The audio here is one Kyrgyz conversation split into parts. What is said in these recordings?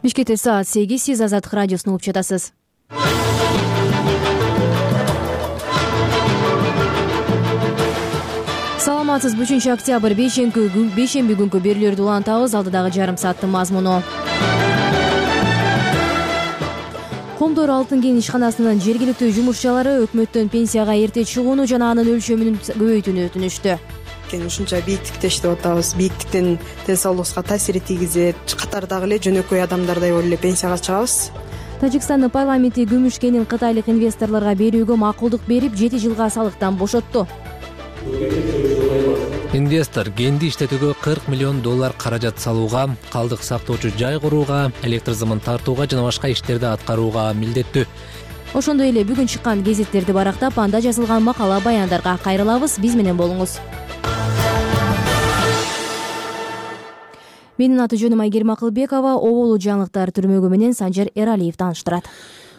Бишкекте саат 8, сиз Азаттык радиосун угуп жатасыз. Саламатсызбы, 3-октябрь бейшемби күнкү берүүлөрдү улантабыз. Алдыдагы жарым сааттын мазмуну. Комдор Алтын кен ишканасынын жергиликтүү жумушчулары өкмөттөн пенсияга эрте чыгууну жана анын өлчөмүн көбөйтүүнү өтүнүштү. Ушунча бийиктикте иштеп атабыз, бийиктиктен ден соолугубузга таасир тийгизет, катардагы эле жөнөкөй адамдардай болуп эле пенсияга чыгабыз. Тажикстандын парламенти күмүш кенин кытайлык инвесторлорго берүүгө макулдук берип, 7 жылга салыктан бошотту. Инвестор кенди иштетүүгө $40 миллион каражат салууга, калдык сактоочу жай курууга, электр зымын тартууга жана башка иштерди аткарууга милдеттүү. Ошондой эле бүгүн чыккан гезиттерди барактап, анда жазылган макала баяндарга кайрылабыз. Биз менен болуңуз. Менин аты жөнүм Айгерим Акылбекова. Оболу жаңылыктар түрмөгү менен Санжар Эралиев тааныштырат.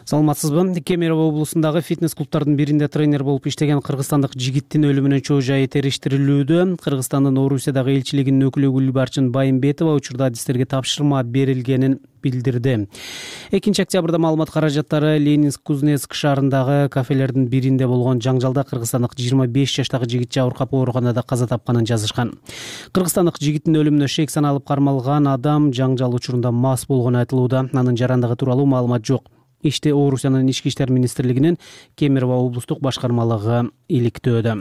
Саламатсызбы? Кемерово облусундагы фитнес-клубтардын биринде тренер болуп иштеген кыргызстандык жигиттин өлүмүнүн чоо жайы териштирилүүдө. Кыргызстандын Орусиядагы элчилигинин өкүлү Гүлбарчын Байымбетова учурда адистерге тапшырма берилгенин билдирди. 2-октябрда маалымат каражаттары Ленинск-Кузнецк шаарындагы кафелердин биринде болгон жаңжалда кыргызстандык 25 жаштагы жигит жабыркап ооруканада каза тапканын жазышкан. Кыргызстандык жигиттин өлүмүнө шек саналып кармалган адам жаңжал учурунда мас болгону айтылууда. Анын жарандыгы тууралуу маалымат жок. Иште Орусиянын ички иштер министрлигинин Кемерово облустук башкармалыгы иликтөөдө.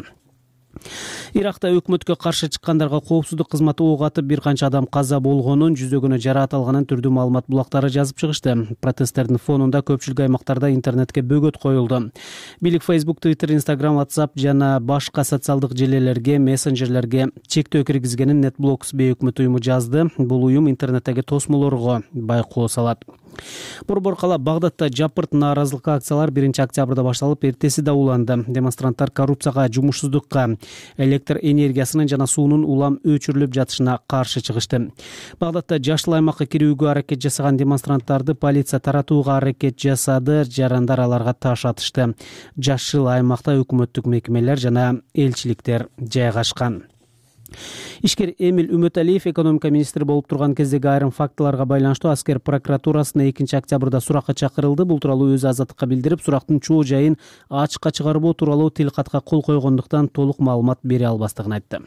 Иракта өкмөткө каршы чыккандарга коопсуздук кызматы ок атып, бир канча адам каза болгонун, жүздөгөнү жараат алганын түрдүү маалымат булактары жазып чыгышты. Протесттердин фонунда көпчүлүк аймактарда интернетке бөгөт коюлду. Бийлик Facebook, Twitter, Instagram, WhatsApp жана башка социалдык желелерге, мессенджерлерге чектөө киргизгенин NetBlocks бейөкмөт уюму жазды. Бул уюм интернеттеги тосмолорго байкоо салат. Борбор кала Багдадда жапырт нааразылык акциялар 1-октябрда башталып, эртеси да уланды. Демонстранттар коррупцияга, жумушсуздукка, электр энергиясынын жана суунун улам өчүрүлүп жатышына каршы чыгышты. Багдадда жашыл аймакка кирүүгө аракет жасаган демонстранттарды полиция таратууга аракет жасады. Жарандар аларга таш атышты. Жашыл аймакта өкмөттүк мекемелер жана элчиликтер жайгашкан. Ишкер Эмиль Үмөталиев экономика министри болуп турган кездеги айрым фактыларга байланыштуу аскер прокуратурасына 2-октябрда суракка чакырылды. Бул тууралуу өзү Азаттыкка билдирип, сурактын чоо жайын ачыкка чыгарбоо тууралуу тилкатка кол койгондуктан толук маалымат бере албастыгын айтты.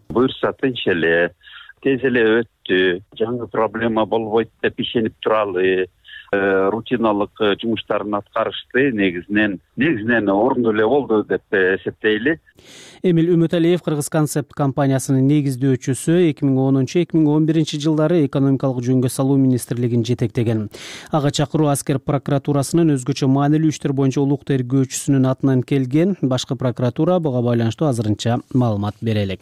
Буюрса тынч эле, тез эле өттү, жаңы проблема болбойт деп ишенип туралы, рутиналык жумуштарын аткарышты, негизинен ордундуу эле болду деп эсептейли. Эмиль Үмөталиев Кыргыз концепт компаниясынын негиздөөчүсү, 2010-2011 жылдары экономикалык жөнгө салуу министрлигин жетектеген. Ага чакыруу аскер прокуратурасынын өзгөчө маанилүү иштер боюнча улук тергөөчүсүнүн атынан келген. Башкы прокуратура буга байланыштуу азырынча маалымат бере элек.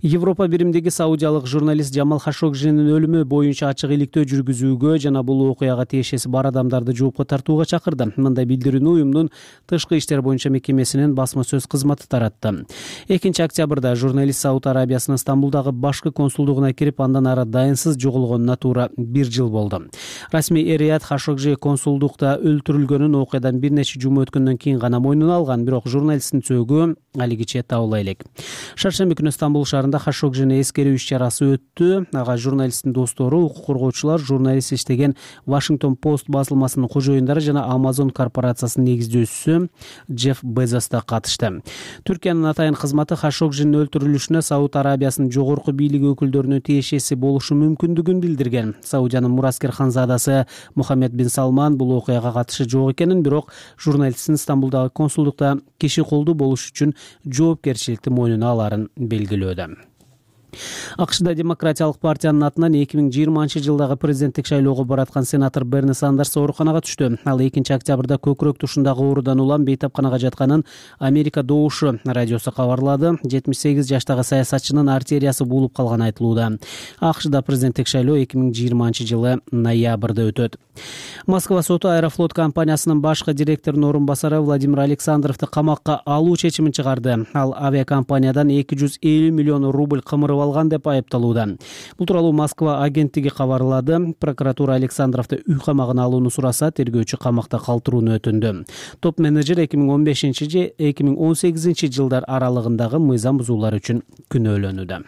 Европа биримдеги саудиялык журналист Джамал Хашогжинин өлүмү боюнча ачык иликтөө жүргүзүүгө жана бул окуяга тиешеси бар адамдарды жоопко тартууга чакырды. Мындай билдирүүнү уюмдун тышкы иштер боюнча мекемесинин басма сөз кызматы таратты. 2-октябрда журналист Сауд Арабиясынын Стамбулдагы башкы консулдугуна кирип, андан ары дайынсыз жоголгонуна туура 1 жыл болду. Расмий Эрият Хашогжи консулдукта өлтүрүлгөнүн окуядан бир нече жума өткөндөн кийин гана мойнуна алган, бирок журналисттин сөөгү алигиче табыла элек. Шаршемби күнү Стамбул шаарында Хашогжини эскерүү иш-чарасы өттү. Ага журналисттин достору, укук коргоочулар, журналист иштеген Washington Post басылмасынын кожоюндары жана Amazon корпорациясынын негиздөөчүсү Джефф Безос да катышты. Түркиянын атайын кызматы Хашогжинин өлтүрүлүшүнө Сауд Арабиясынын жогорку бийлиги өкүлдөрүнүн тиешеси болушу мүмкүндүгүн билдирген. Саудиянын мураскер ханзадасы Мухаммед бин Салман бул окуяга катышы жок экенин, бирок журналисттин Стамбулдагы консулдукта киши колдуу болуш үчүн жоопкерчиликти мойнуна аларын белгилөөдө. АКШда Демократиялык партиянын атынан 2020 жылдагы президенттик шайлоого бараткан сенатор Берни Сандерс ооруканага түштү. Ал 2-октябрда көкүрөк тушундагы оорудан улам бейтапканага жатканын Америка Добушу радиосу кабарлады. 78 жаштагы саясатчынын артериясы буулуп калганы айтылууда. АКШда президенттик шайлоо 2020 жылы ноябрда өтөт. Москва соту Аэрофлот компаниясынын башкы директорунун орун басары Владимир Александровду камакка алуу чечимин чыгарды. Ал авиакомпаниядан 250 миллион рубль кымырып алган деп айыпталууда. Бул тууралуу Москва агенттиги кабарлады. Прокуратура Александровду үй камагына алууну сураса, тергөөчү камакта калтырууну өтүндү. Топ менеджер 2015-2018 жылдар аралыгындагы мыйзам бузуулар үчүн күнөөлөнүүдө.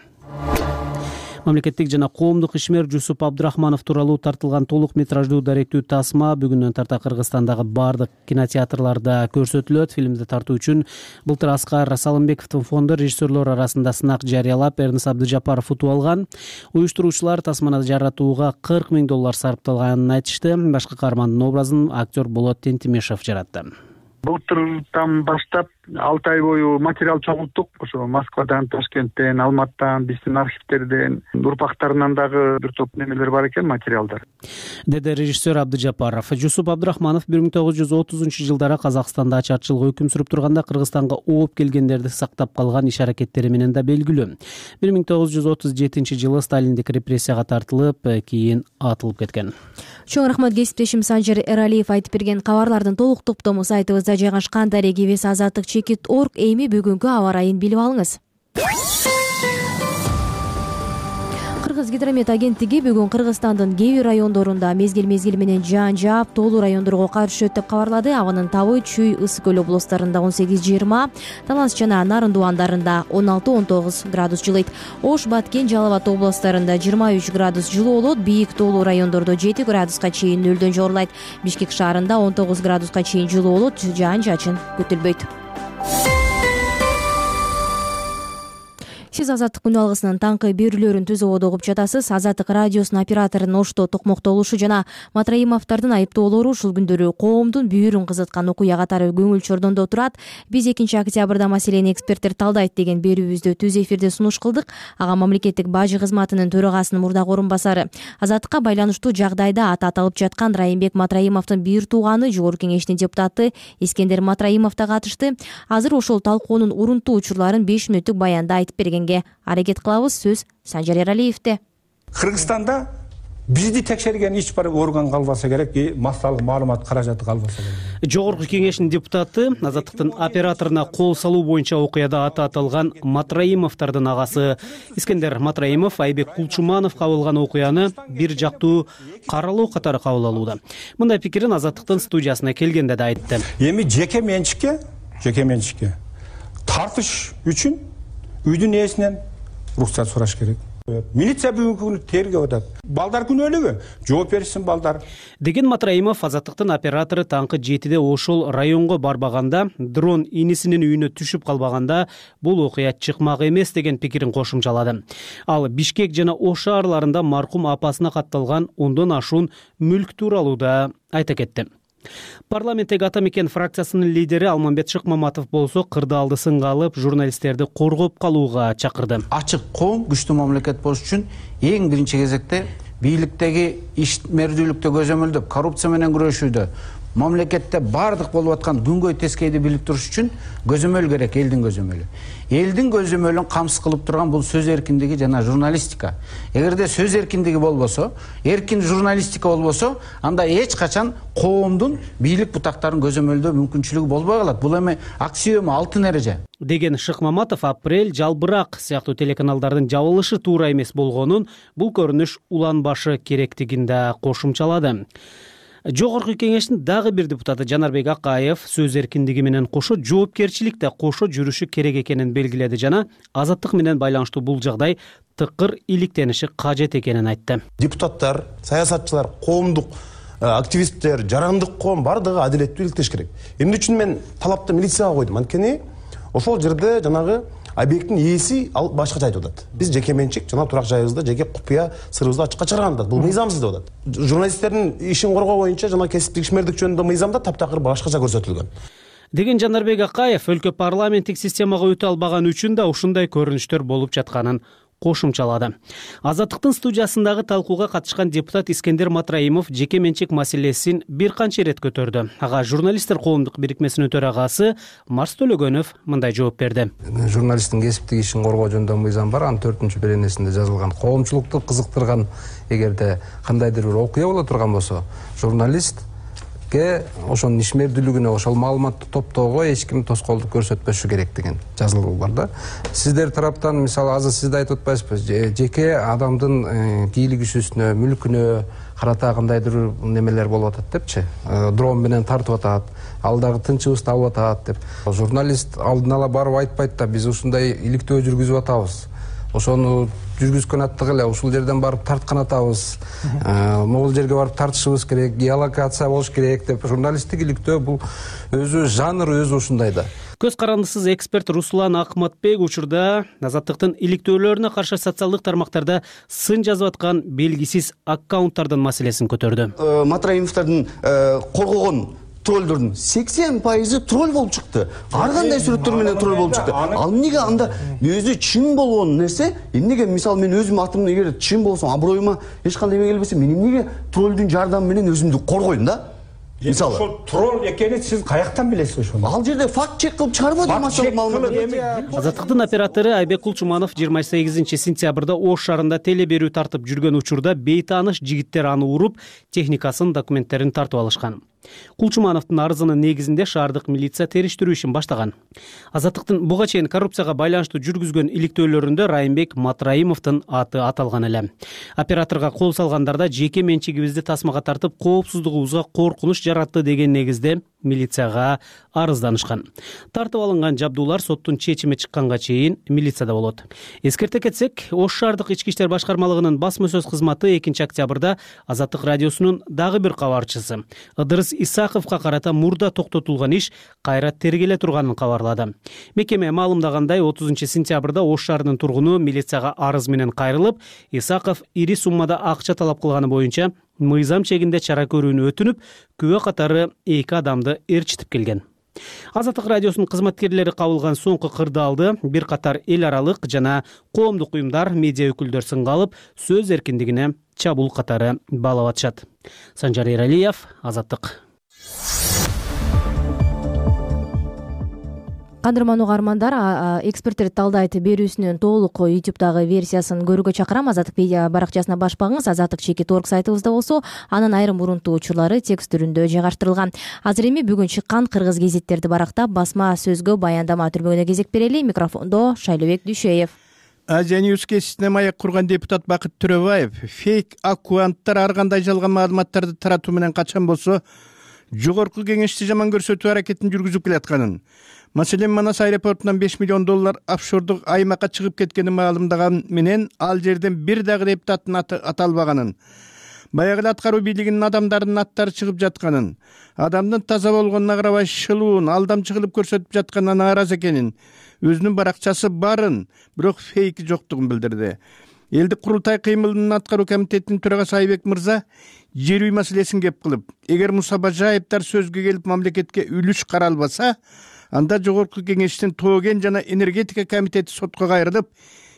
Мамлекеттик жана коомдук ишмер Жусуп Абдрахманов тууралуу тартылган толук метраждуу даректүү тасма бүгүндөн тарта Кыргызстандагы бардык кинотеатрларда көрсөтүлөт. Фильмди тартуу үчүн былтыр Аскар Салымбековдун фонду режиссерлор арасында сынак жарыялап, Эрнис Абдыжапаров утуп алган. Уюштуруучулар тасманы жаратууга $40 000 сарпталганын айтышты. Башкы каармандын образын актер Болот Тентимешев жаратты. Былтырдан баштап 6 ай бою материал чогулттук. Ошо Москвадан, Ташкенттен, Алматтан, биздин архивтерден, урпактарынан дагы бир топ немелер бар экен, материалдар. Деди режиссер Абдыжапаров. Жусуп Абдрахманов 1930-жылдары Казакстанда ачарчылык өкүм сүрүп турганда Кыргызстанга ооп келгендерди сактап калган иш-аракеттери менен да белгилүү. 1937-жылы Сталиндик репрессияга тартылып, кийин атылып кеткен. Чоң рахмат кесиптешим Санжар Эралиев айтып берген кабарлардын толук топтому сайтыбызда жайгашкан. Дарегибиз Азаттык.org. Эми бүгүнкү аба ырайын билип алыңыз. Кыргыз гидромет агенттиги бүгүн Кыргызстандын кээ бир райондорунда мезгил менен жаан жаап, тоолуу райондорго кар түшөт деп кабарлады. Абанын табы Чүй, Ысык көл облустарында 18-20, Талас жана Нарын дуандарында 16-19 градус жылыйт. Ош, Баткен, Жалал Абад облустарында 23 градус жылуу болот. Бийик тоолуу райондордо 7 градуска чейин нөлдөн жогорулайт. Бишкек шаарында 19 градуска чейин жылуу болот. Жаан чачын күтүлбөйт. Сиз Азаттык күн алгысынын таңкы берүүлөрүн Түз Ободо угуп жатасыз. Азаттык радиосунун операторунун Ошто токмоктолушу жана Матраимовдордун айыптоолору ушул күндөрү коомдун бүйүрүн кызыткан окуя катары көңүл чордондо турат. Биз 2-октябрда маселени эксперттер талдайт деген берүүбүздү Түз эфирде сунуш кылдык. Ага мамлекеттик бажы кызматынын төрагасынын мурдагы орун басары, Азаттыкка байланыштуу жагдайда аты аталып жаткан Райымбек Матраимовдун бир тууганы, Жогорку Кеңештин депутаты Искендер Матраимов да катышты. Азыр ошол талкуунун урунтуу учурларын 5 мүнөттүк баянда айтып берген аракет кылабыз. Сөз Санжар Эралиевде. Кыргызстанда бизди текшерген ич бир орган калбаса керек, массалык маалымат каражаты калбаса керек. Жогорку Кеңештин депутаты Азаттыктын операторуна кол салуу боюнча окуяда аты аталган Матраимовдордун агасы Искендер Матраимов Айбек Кулчумановго кабылган окуяны бир жактуу каралоо катары кабыл алууда. Мындай пикирин Азаттыктын студиясына келгенде да айтты. Эми жеке менчикке тартыш үчүн үйдүн ээсинен уруксат сураш керек. Милиция бүгүнкү күнү тергеп атат. Балдар күнөөлүгү жооп беришсин балдар. Деген Матраимов Азаттыктын оператору таңкы 7-де ошол районго барбаганда, дрон инисинин үйүнө түшүп калбаганда бул окуя чыкмак эмес деген пикирин кошумчалады. Ал Бишкек жана Ош шаарларында маркум апасына катталган 10дон ашуун мүлк тууралуу да айта кетти. Парламенттеги Ата Мекен фракциясынын лидери Алмамбет Шыкмаматов болсо кырдаалды сынга алып, журналисттерди коргоп калууга чакырды. Ачык коом, күчтүү мамлекет болуш үчүн эң биринчи кезекте бийликтеги ишмердүүлүктү көзөмөлдөп, коррупция менен күрөшүүдө, мамлекетте бардык болуп аткан күнгөй тескейди билип туруш үчүн көзөмөл керек, элдин көзөмөлү. Элдин көзөмөлүн камсыз кылып турган бул сөз эркиндиги жана журналистика. Эгерде сөз эркиндиги болбосо, эркин журналистика болбосо, анда эч качан коомдун бийлик бутактарын көзөмөлдөө мүмкүнчүлүгү болбой калат. Бул эми аксиома, алтын эреже. Деген Шыкмаматов Апрель, Жалбырак сыяктуу телеканалдардын жабылышы туура эмес болгонун, бул көрүнүш уланбашы керектигин да кошумчалады. Жогорку Кеңештин дагы бир депутаты Жанарбек Акаев сөз эркиндиги менен кошо жоопкерчилик да кошо жүрүшү керек экенин белгиледи жана азаттык менен байланыштуу бул жагдай тыкыр иликтениши кажет экенин айтты. Депутаттар, саясатчылар, коомдук активисттер, жарандык коом бардыгы адилеттүү иликтеш керек. Эмне үчүн мен талапты милицияга койдум? Анткени ошол жерде жанагы объекттин ээси ал башкача айтып атат. Биз жеке менчик жана турак жайыбызда жеке купуя сырыбызды ачыкка чыгарган атат. Бул мыйзамсыз деп атат. Журналисттердин ишин коргоо боюнча жана кесиптик ишмердик жөнүндө мыйзамда таптакыр башкача көрсөтүлгөн. Деген Жанарбек Акаев өлкө парламенттик системага өтө албаган үчүн да ушундай көрүнүштөр болуп жатканын кошумчалады. Азаттыктын студиясындагы талкууга катышкан депутат Искендер Матраимов жеке менчик маселесин бир канча ирет көтөрдү. Ага журналисттер коомдук бирикмесинин төрагасы Марс Төлөгөнов мындай жооп берди. Журналисттин кесиптик ишин коргоо жөнүндө мыйзам бар, анын 4-беренесинде жазылган. Коомчулукту кызыктырган эгерде кандайдыр бир окуя боло турган болсо, журналист ошонун ишмердүүлүгүнө, ошол маалыматты топтоого эч ким тоскоолдук көрсөтпөшү керек деген жазылуу бар да. Сиздер тараптан мисалы азыр сиз да айтып атпайсызбы, жеке адамдын кийлик ишүүсүнө, мүлкүнө карата кандайдыр немелер болуп атат депчи, дрон менен тартып атат, ал дагы тынчыбызды алып атат деп. Журналист алдын ала барып айтпайт да, биз ушундай иликтөө жүргүзүп атабыз. ошону жүргүзгөн аттык эле ушул жерден барып тарткан атабыз, могул жерге барып тартышыбыз керек, геолокация болуш керек деп. Журналисттик иликтөө бул өзү жанр өзү ушундай да. Көз карандысыз эксперт Руслан Акматбек учурда Азаттыктын иликтөөлөрүнө каршы социалдык тармактарда сын жазып аткан белгисиз аккаунттардын маселесин көтөрдү. Матраимовдордун коргогон троллдордун 80% тролл болуп чыкты. Ар кандай сүрөттөр менен тролл болуп чыкты. Ал эмнеге анда өзү чын болгон нерсе, эмнеге мисалы мен өзүм атымды эгер чын болсом, аброюма эч кандай эме келбесе, мен эмнеге троллдун жардамы менен өзүмдү коргойм да? Мисалы ошол тролл экенин сиз каяктан билесиз ошону? Ал жерде факт чек кылып чыгарып атат маалымат. Азаттыктын оператору Айбек Кулчуманов 28 сентябрда Ош шаарында теле берүү тартып жүргөн учурда бейтааныш жигиттер аны уруп, техникасын, документтерин тартып алышкан. Кулчумановдун арызынын негизинде шаардык милиция териштирүү ишин баштаган. Азаттыктын буга чейин коррупцияга байланыштуу жүргүзгөн иликтөөлөрүндө Райымбек Матраимовдун аты аталган эле. Операторго кол салгандарда жеке менчигибизди тасмага тартып, коопсуздугубузга коркунуч жаратты деген негизде милицияга арызданышкан. Тартып алынган жабдуулар соттун чечими чыкканга чейин милицияда болот. Эскерте кетсек, Ош шаардык ички иштер башкармалыгынын басма сөз кызматы 2 октябрда Азаттык радиосунун дагы бир кабарчысы Ыдырыс Исаковго карата мурда токтотулган иш кайра тергеле турганын кабарлады. Мекеме маалымдагандай 30 сентябрда Ош шаарынын тургуну милицияга арыз менен кайрылып, Исаков ири суммада акча талап кылганы боюнча мыйзам чегинде чара көрүүнү өтүнүп, күбө катары 2 адамды ээрчитип келген. Азаттык радиосунун кызматкерлери кабылган соңку кырдаалды бир катар эл аралык жана коомдук уюмдар, медиа өкүлдөр сынга алып, сөз эркиндигине чабуул катары баалап атышат. Санжар Эралиев, Азаттык. Кадырман угармандар, эксперттер талдайт берүүсүнүн толук YouTube'дагы версиясын көрүүгө чакырам. Азаттык медиа баракчасына баш багыңыз. Азаттык _org сайтыбызда болсо, анын айрым мурунтуу учурлары текст түрүндө жайгаштырылган. Азыр эми бүгүн чыккан кыргыз гезиттерди барактап, басма сөзгө баяндама түрмөгүнө кезек берели. Микрофондо Шайлыбек Дүйшөев. Азия Ньюс кесисине маек курган депутат Бакыт Төрөбаев фейк аккаунттар ар кандай жалган маалыматтарды таратуу менен качан болсо жогорку кеңешти жаман көрсөтүү аракетин жүргүзүп келатканын, маселен Манас аэропортунан $5 миллион офшордук аймакка чыгып кеткенин маалымдаган менен ал жерден бир дагы депутаттын аты аталбаганын, баягы эле аткаруу бийлигинин адамдарынын аттары чыгып жатканын, адамдын таза болгонуна карабай шылуун алдамчы кылып көрсөтүп жатканына нааразы экенин, өзүнүн баракчасы барын, бирок фейк жоктугун билдирди. Элдик курултай кыймылынын аткаруу комитетинин төрагасы Айбек мырза жер үй маселесин кеп кылып, эгер Муса Бажаевдер сөзгө келип мамлекетке үлүш каралбаса, анда жогорку кеңештин Тооген жана энергетика комитети сотко кайрылып,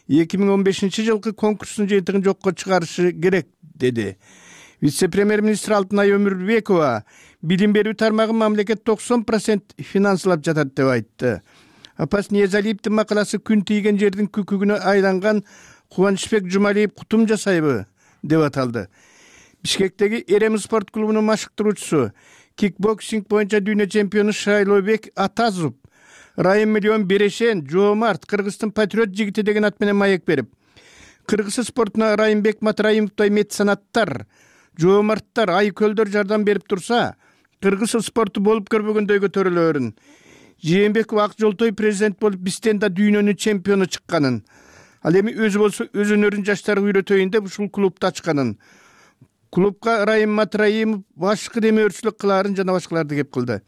2015 жылкы конкурстун жыйынтыгын жокко чыгарышы керек, деди. Вице-премьер-министр Алтынай Өмүрбекова билим берүү тармагын мамлекет 90% финансылап жатат деп айтты. Апас Ниязалиевдин макаласы күн тийген жердин күкүгүнө айланган Кубанычбек Жумалиев кутум жасайбы деп аталды. Бишкектеги Эрем спорт клубунун машыктыруучусу, кикбоксинг боюнча дүйнө чемпиону Шайлообек Атазов Райым Миллион Берешен Жоомарт Кыргыздын патриот жигити деген ат менен маек берип, кыргыз спортуна Райымбек Матраимовдой меценаттар, жоомарттар, айкөлдөр жардам берип турса, кыргыз спорту болуп көрбөгөндөй көтөрүлөөрүн. Жээнбеков Ак Жолтой президент болуп бизден да дүйнөнүн чемпиону чыкканын, ал эми өзү болсо өз өнөрүн жаштарга үйрөтөйүн деп ушул клубду ачканын, клубка Райым Матраимов башкы демөөрчүлүк кылаарын жана башкаларды кеп кылды.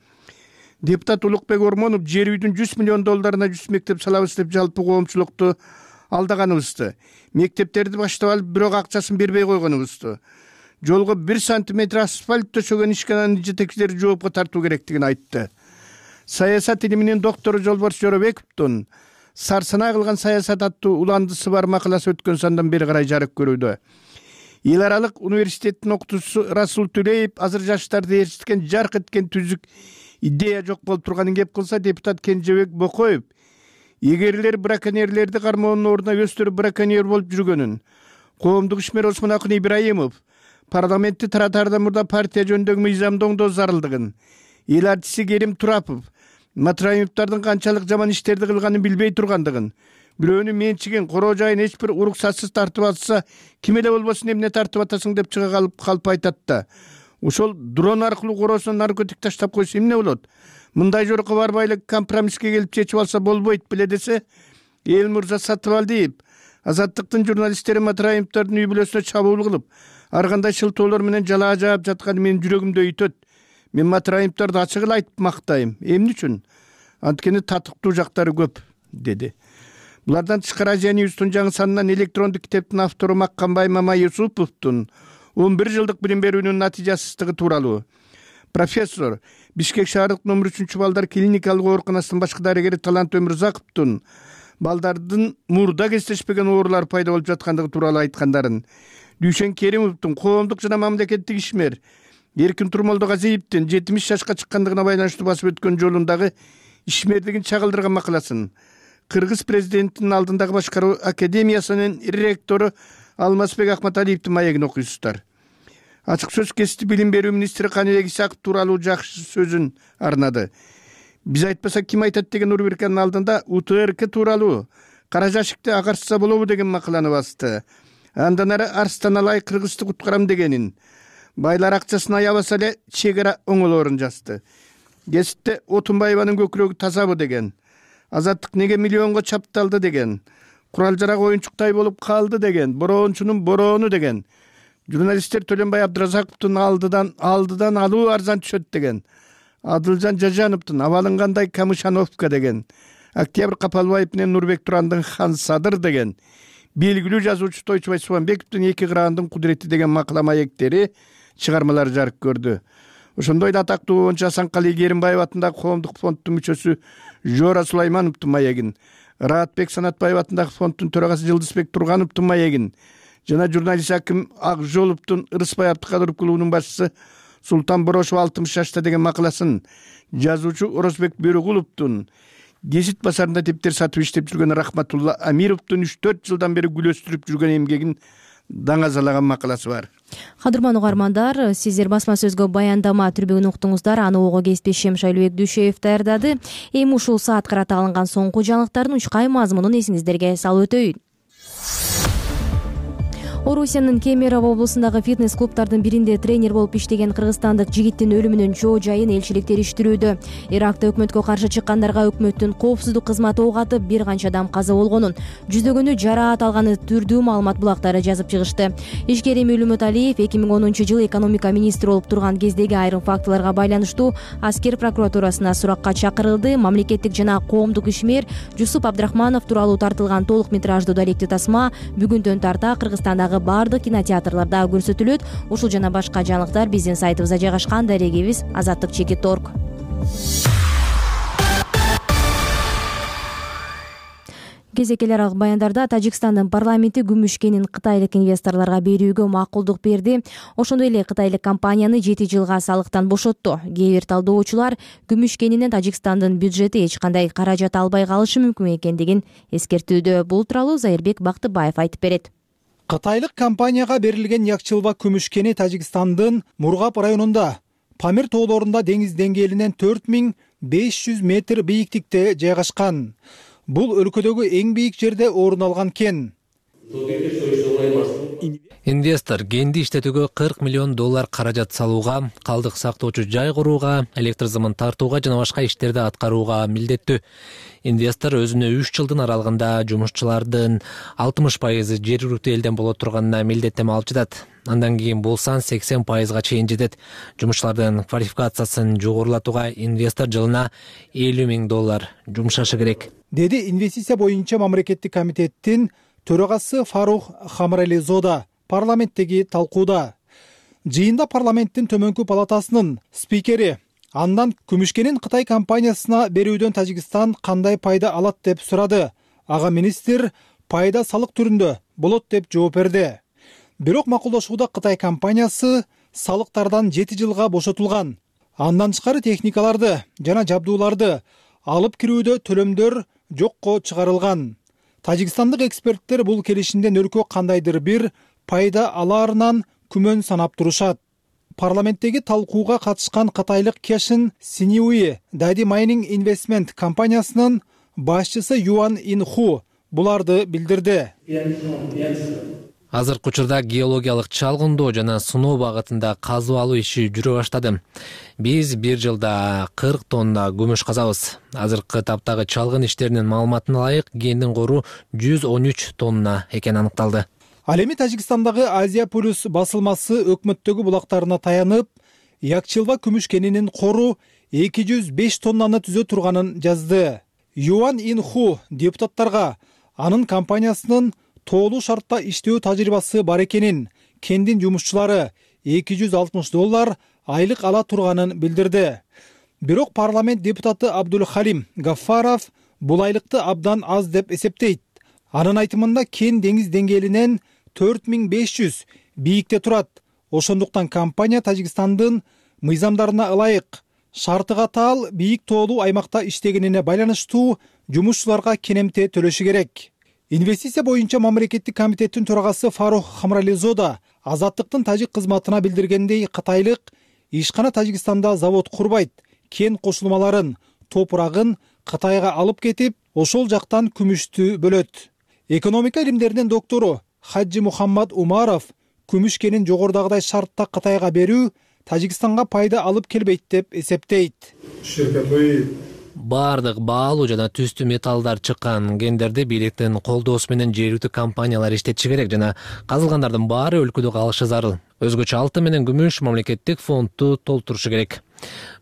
Депутат Улукбек Ормонов жер үйдүн $100 миллион 100 мектеп салабыз деп жалпы коомчулукту алдаганыбызды, мектептерди баштап алып бирок акчасын бербей койгонубузду, жолго 1 сантиметр асфальт төшөгөн ишкананын жетекчилери жоопко тартуу керектигин айтты. Саясат илиминин доктору Жолборс Жоробековдун Сарсына кылган саясат аттуу уландысы бар макаласы өткөн сандан бери карай жарык көрүүдө. Эл аралык университеттин окутуучусу Расул Түлеев азыр жаштарды ээрчиткен жарк эткен түзүк идея жок болуп турганын кеп кылса, депутат Кенжебек Бокоев эгерлер браконьерлерди кармоонун ордуна өздөрү браконьер болуп жүргөнүн, коомдук ишмер Осмон Акын Ибраимов парламентти таратаардан мурда партия жөнүндөгү мыйзамды оңдоо зарылдыгын, эл артисти Керим Турапов Матраимовдардын канчалык жаман иштерди кылганын билбей тургандыгын, бирөөнүн менчигин, короо жайын эч бир уруксатсыз тартып атса, ким эле болбосун эмне тартып атасың деп чыга калып айтат да. Ошол дрон аркылуу короосуна наркотик таштап койсо эмне болот? Мындай жорукка барбай эле компромисске келип чечип алса болбойт беле десе, эл мырза Сатыбалдиев Азаттыктын журналисттери Матраимовдордун үй бүлөсүнө чабуул кылып, ар кандай шылтоолор менен жалаа жаап жатканы менин жүрөгүмдө өйтөт. Мен Матраимовдорду ачык эле айтып мактайм. Эмне үчүн? Анткени татыктуу жактары көп, деди. Булардан тышкары Азия Ньюстун жаңы санынан электрондук китептин автору Маккамбай Мамаюсуповдун 11 жылдык билим берүүнүн натыйжасыздыгы тууралуу. Профессор, Бишкек шаардык номер 3-балдар клиникалык ооруканасынын башкы дарыгери Талант Өмүрзаковдун балдардын мурда кездешпеген оорулар пайда болуп жаткандыгы тууралуу айткандарын, Дүйшен Керимовдун коомдук жана мамлекеттик ишмер Эркин Турмолдогазиевдин 70 жашка чыккандыгына байланыштуу басып өткөн жолундагы ишмердигин чагылдырган макаласын, Кыргыз президентинин алдындагы башкаруу академиясынын ректору Алмазбек Акматалиевдин маегин окуйсуздар. Ачык сөз кесип билим берүү министри Каныбек Исаков тууралуу жакшы сөзүн арнады. Биз айтпасак ким айтат деген рубриканын алдында УТРК тууралуу кара жашыкты агарса болобу деген макаланы басты. Андан ары Арстаналай Кыргызды куткарам дегенин, байлар акчасын аябаса эле чек ара оңолоорун жазды. Кесипте Отунбаеванын көкүрөгү тазабы деген, Азаттык неге миллионго чапталды деген, курал жарак оюнчуктай болуп калды деген, бороончунун бороону деген, журналисттер Төлөнбай Абдыразаковдун алдыдан алуу арзан түшөт деген, Адылжан Жажановдун абалынгандай Камышановка деген, Октябрь Капалбаев менен Нурбек Турандын Хан Садыр деген, белгилүү жазуучу Тойчубай Субанбековдун Эки кыраандын кудурети деген макала маектери чыгармалары жарык көрдү. Ошондой эле атактуу оончу Асанкали Керимбаев атындагы коомдук фонддун мүчөсү Жора Сулаймановдун маегин, Раатбек Санатбаев атындагы фонддун төрагасы Жылдызбек Тургановдун маегин жана журналист Аким Акжоловдун Ырысбай Абдыкадыров клубунун башчысы Султан Борошов 60 жашта деген макаласын, жазуучу Орозбек Бөрөгуловдун Гезит базарында тептер сатып иштеп жүргөн Рахматулла Амировдун 3-4 жылдан бери гүлөстүрүп жүргөн эмгегин даңазалаган макаласы бар. Кадырман угармандар, сиздер басма сөзгө баяндама түрбөгүн уктуңуздар. Аны ого кеспешем Шайлыбек Дүйшеев даярдады. Эми ушул саат карата алынган соңку жаңылыктардын учкай мазмунун эсиңиздерге салып өтөйүн. Орусиянын Кемерово облусундагы фитнес-клубтардын биринде тренер болуп иштеген кыргызстандык жигиттин өлүмүнүн чоо жайын элчилик териштирүүдө. Иракта өкмөткө каршы чыккандарга өкмөттүн коопсуздук кызматы ок атып, бир канча адам каза болгонун, жүздөгөнү жараат алганы түрдүү маалымат булактары жазып чыгышты. Ишкер Эмил Үмүталиев 2010-жылы экономика министри болуп турган кездеги айрым фактыларга байланыштуу аскер прокуратурасына суракка чакырылды. Мамлекеттик жана коомдук ишмер Жусуп Абдрахманов тууралуу тартылган толук метраждуу далектик тасма бүгүндөн тарта Кыргызстандагы бардык кинотеатрларда көрсөтүлөт. Ушул жана башка жаңылыктар биздин сайтыбызда жайгашкан. Дарегибиз azattik.org. Кезекелер аралык баяндарда Тажикстандын парламенти күмүш кенин кытайлык инвесторлорго берүүгө макулдук берди. Ошондой эле кытайлык компанияны 7 жылга салыктан бошотту. Кээ бир талдоочулар күмүш кенинен Тажикстандын бюджети эч кандай каражат албай калышы мүмкүн экендигин эскертүүдө. Бул тууралуу Зайырбек Бактыбаев айтып берет. Кытайлык компанияга берилген Якчылба күмүш кени Тажикстандын Мургап районунда Памир тоолорунда деңиз деңгээлинен 4500 метр бийиктикте жайгашкан. Бул өлкөдөгү эң бийик жерде орун алган кен. Инвестор кенди иштетүүгө $40 миллион каражат салууга, калдык сактоочу жай курууга, электр зымын тартууга жана башка иштерди аткарууга милдеттүү. Инвестор өзүнө 3 жылдын аралыгында жумушчулардын 60% жергиликтүү элден боло турганына милдеттеме алып жатат. Андан кийин бул сан 80%га чейин жетет. Жумушчулардын квалификациясын жогорулатууга инвестор жылына $50 миң жумшашы керек, деди инвестиция боюнча мамлекеттик комитеттин төрагасы Фарух Хамрализода парламенттеги талкууда. Жыйында парламенттин төмөнкү палатасынын спикери андан күмүшкенин Кытай компаниясына берүүдөн Тажикстан кандай пайда алат деп сурады. Ага министр пайда салык түрүндө болот деп жооп берди. Бирок макулдашууда Кытай компаниясы салыктардан 7 жылга бошотулган. Андан тышкары техникаларды жана жабдууларды алып кирүүдө төлөмдөр жокко чыгарылган. Тажикстандык эксперттер бул келишимден өлкө кандайдыр бир пайда алаарынан күмөн санап турушат. Парламенттеги талкууга катышкан кытайлык Кешин Синиуи Дади Майнинг Инвестмент компаниясынын башчысы Юан Инху буларды билдирди. Азыркы учурда геологиялык чалгындоо жана сыноо багытында казып алуу иши жүрө баштады. Биз бир жылда 40 тонна күмүш казабыз. Азыркы таптагы чалгын иштеринин маалыматына ылайык гендин кору 113 тонна экени аныкталды. Ал эми Тажикстандагы Азия Плюс басылмасы өкмөттөгү булактарына таянып, Якчылба күмүш кенинин кору 205 тоннаны түзө турганын жазды. Юан Инху депутаттарга анын компаниясынын тоолуу шартта иштөө тажрыйбасы бар экенин, кендин жумушчулары $260 айлык ала турганын билдирди. Бирок парламент депутаты Абдул Халим Гаффаров бул айлыкты абдан аз деп эсептейт. Анын айтымында кен деңиз деңгээлинен 4500 бийикте турат. Ошондуктан компания Тажикстандын мыйзамдарына ылайык шарты катаал бийик тоолуу аймакта иштегенине байланыштуу жумушчуларга кенемте төлөшү керек. Инвестиция боюнча мамлекеттик комитеттин төрагасы Фарух Хамрализода Азаттыктын тажик кызматына билдиргендей, кытайлык ишкана Тажикстанда завод курбайт, кен кошулмаларын, топурагын Кытайга алып кетип, ошол жактан күмүштү бөлөт. Экономика илимдеринин доктору Хаджи Мухаммад Умаров күмүш кенин жогорудагыдай шартта Кытайга берүү Тажикстанга пайда алып келбейт деп эсептейт. Бардык баалуу жана түстүү металлдар чыккан кендерди бийликтин колдоосу менен жергиликтүү компаниялар иштетиши керек жана казылгандардын баары өлкөдө калышы зарыл. Өзгөчө алтын менен күмүш мамлекеттик фондду толтурушу керек.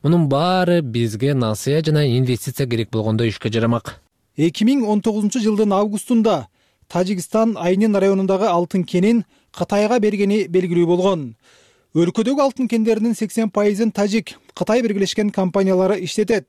Мунун баары бизге насыя жана инвестиция керек болгондо ишке жарамак. 2019-жылдын августунда Тажикстан Айнин районундагы алтын кенин Кытайга бергени белгилүү болгон. Өлкөдөгү алтын кендеринин 80%-ын Тажик, Кытай биргелешкен компаниялары иштетет.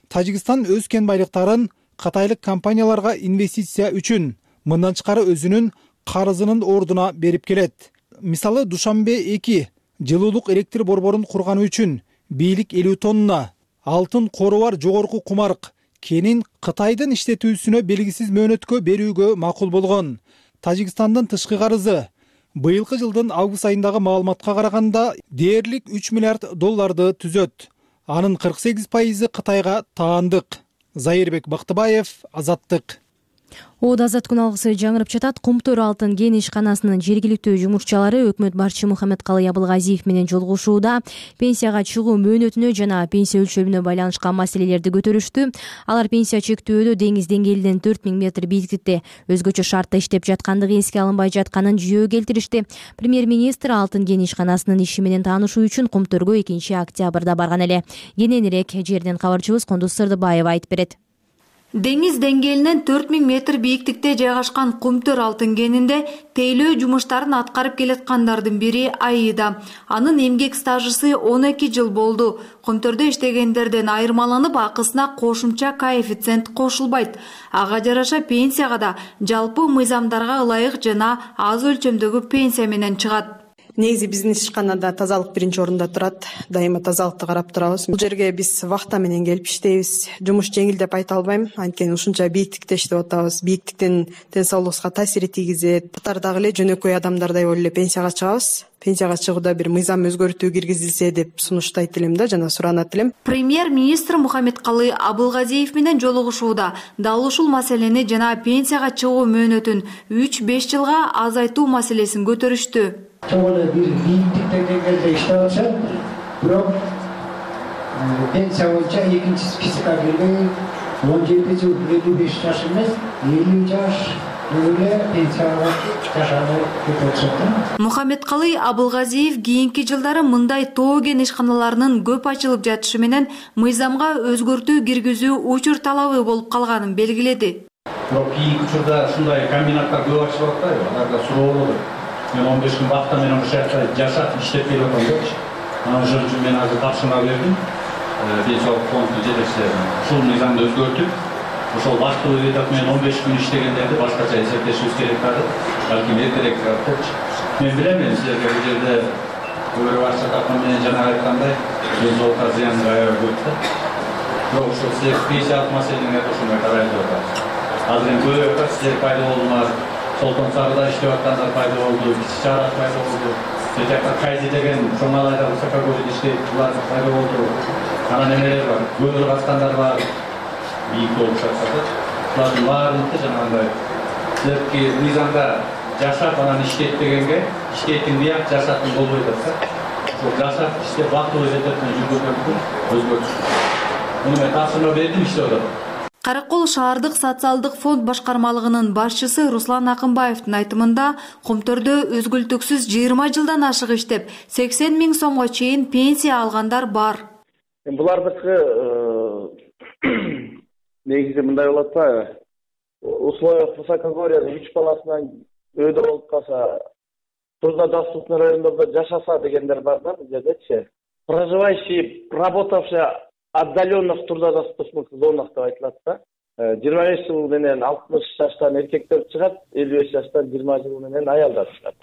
Тажикстан өз кен байлыктарын кытайлык компанияларга инвестиция үчүн, мындан тышкары өзүнүн карызынын ордуна берип келет. Мисалы, Душанбе 2 жылуулук электр борборун курганы үчүн бийлик 50 тонна алтын кору бар жогорку кумарк кенин Кытайдын иштетүүсүнө белгисиз мөөнөткө берүүгө макул болгон. Тажикстандын тышкы карызы быйылкы жылдын август айындагы маалыматка караганда дээрлик $3 миллиард түзөт. Анын 48% Кытайга таандык. Зайырбек Бактыбаев, Азаттык. Азат күн алгысы жаңырып жатат. Кумтөр алтын кен ишканасынын жергиликтүү жумушчулары өкмөт башчы Мухаммедкалый Абылгазиев менен жолугушууда пенсияга чыгуу мөөнөтүнө жана пенсия өлчөмүнө байланышкан маселелерди көтөрүштү. Алар пенсия чектөөдө деңиз деңгээлинен 4000 метр бийиктикте өзгөчө шартта иштеп жаткандыгы эске алынбай жатканын жүйөгө келтиришти. Премьер-министр алтын кен ишканасынын иши менен таанышуу үчүн Кумтөргө 2-октябрда барган эле. Кененирээк жерден кабарчыбыз Кондуз Сырдыбаева айтып берет. Деңиз деңгээлинен 4000 метр бийиктикте жайгашкан Кумтөр алтын кенинде тейлөө жумуштарын аткарып келаткандардын бири Аида. Анын эмгек стажысы 12 жыл болду. Кумтөрдө иштегендерден айырмаланып, акысына кошумча коэффициент кошулбайт. Ага жараша пенсияга да жалпы мыйзамдарга ылайык жана аз өлчөмдөгү пенсия менен чыгат. Негизи биздин ишканада тазалык биринчи орунда турат. Дайыма тазалыкты карап турабыз. Бул жерге биз вахта менен келип иштейбиз. Жумуш жеңил деп айта албайм. Анткени ушунча бийиктикте иштеп атабыз. Бийиктиктин ден соолугубузга таасир тийгизет. Катардагы эле жөнөкөй адамдардай болуп эле пенсияга чыгабыз. Пенсияга чыгууда бир мыйзам өзгөртүү киргизилсе деп сунуштайт элем да, жана суранат элем. Премьер-министр Мухаммедкалый Абылгазиев менен жолугушууда дал ушул маселени жана пенсияга чыгуу мөөнөтүн 3-5 жылга азайтуу маселесин көтөрүштү. Чоң эле бир бийиктикте деңгээлде иштеп атса, бирок пенсия боюнча экинчи спискке кирбей 17 жыл 55 жаш эмес, 50 жаш эле пенсияга жашабай кетип атат. Мухаммедкалый Абылгазиев кийинки жылдары мындай тоо кен ишканаларынын көп ачылып жатышы менен мыйзамга өзгөртүү киргизүү учур талабы болуп калганын белгиледи. Бирок кийинки учурда ушундай комбинаттар көп ачылып атпайбы? Аларда суроо болот. Мен 15 күн вакытта менен ошол жакта жашап иштеп келип атам депчи. Ошол үчүн мен азыр тапшырма бердим. Пенсиялык фонддун жетекчилерине ушул мыйзамды өзгөртүп, ошол вакыттуу период менен 15 күн иштегендерди башкача эсептешибиз керек дагы. Балким эртерээк депчи. Мен билем, силерге бул жерде көбүрөөк акча тапкан менен жана айткандай, ден соолукка зыян аябай көп да. Бирок ошол силер пенсиялык маселени ошондой карайлы деп атабыз. Азыр эми көбүрөөк силер пайда болдуңар. Солтон Сарыда иштеп аткандар пайда болду, Кичи Чарак пайда болду. Бул жакта Кайзи деген Чоңалайда Высокогорьде иштейт, булар пайда болду. Анан эмелер бар, көмүр каскандар бар, бийик болуп жатат. Булардын баардыгы жанагындай силердики мыйзамда жашап анан иштейт дегенге иштейтин бияк жашатын болбойт да. Ошол жашап иштеп бактылуу жететин жүргүзгөндүн өзгөртүшү. Муну мен тапшырма бердим, иштеп атат. Каракол шаардык социалдык фонд башкармалыгынын башчысы Руслан Акынбаевдин айтымында Комтөрдө өзгөлтүксүз 20 жылдан ашык иштеп, 80 000 сомго чейин пенсия алгандар бар. Булардыкы негизи мындай болот да. Условиях высокогорья 3 баласынан өйдө болуп калса, труднодоступный райондордо жашаса дегендер бар да, бул жердечи. Проживающий, работавший отдаленно в труднодоступных зонах деп айтылат да. 25 жыл менен 60 жаштан эркектер чыгат, 55 жаштан 20 жыл менен аялдар чыгат.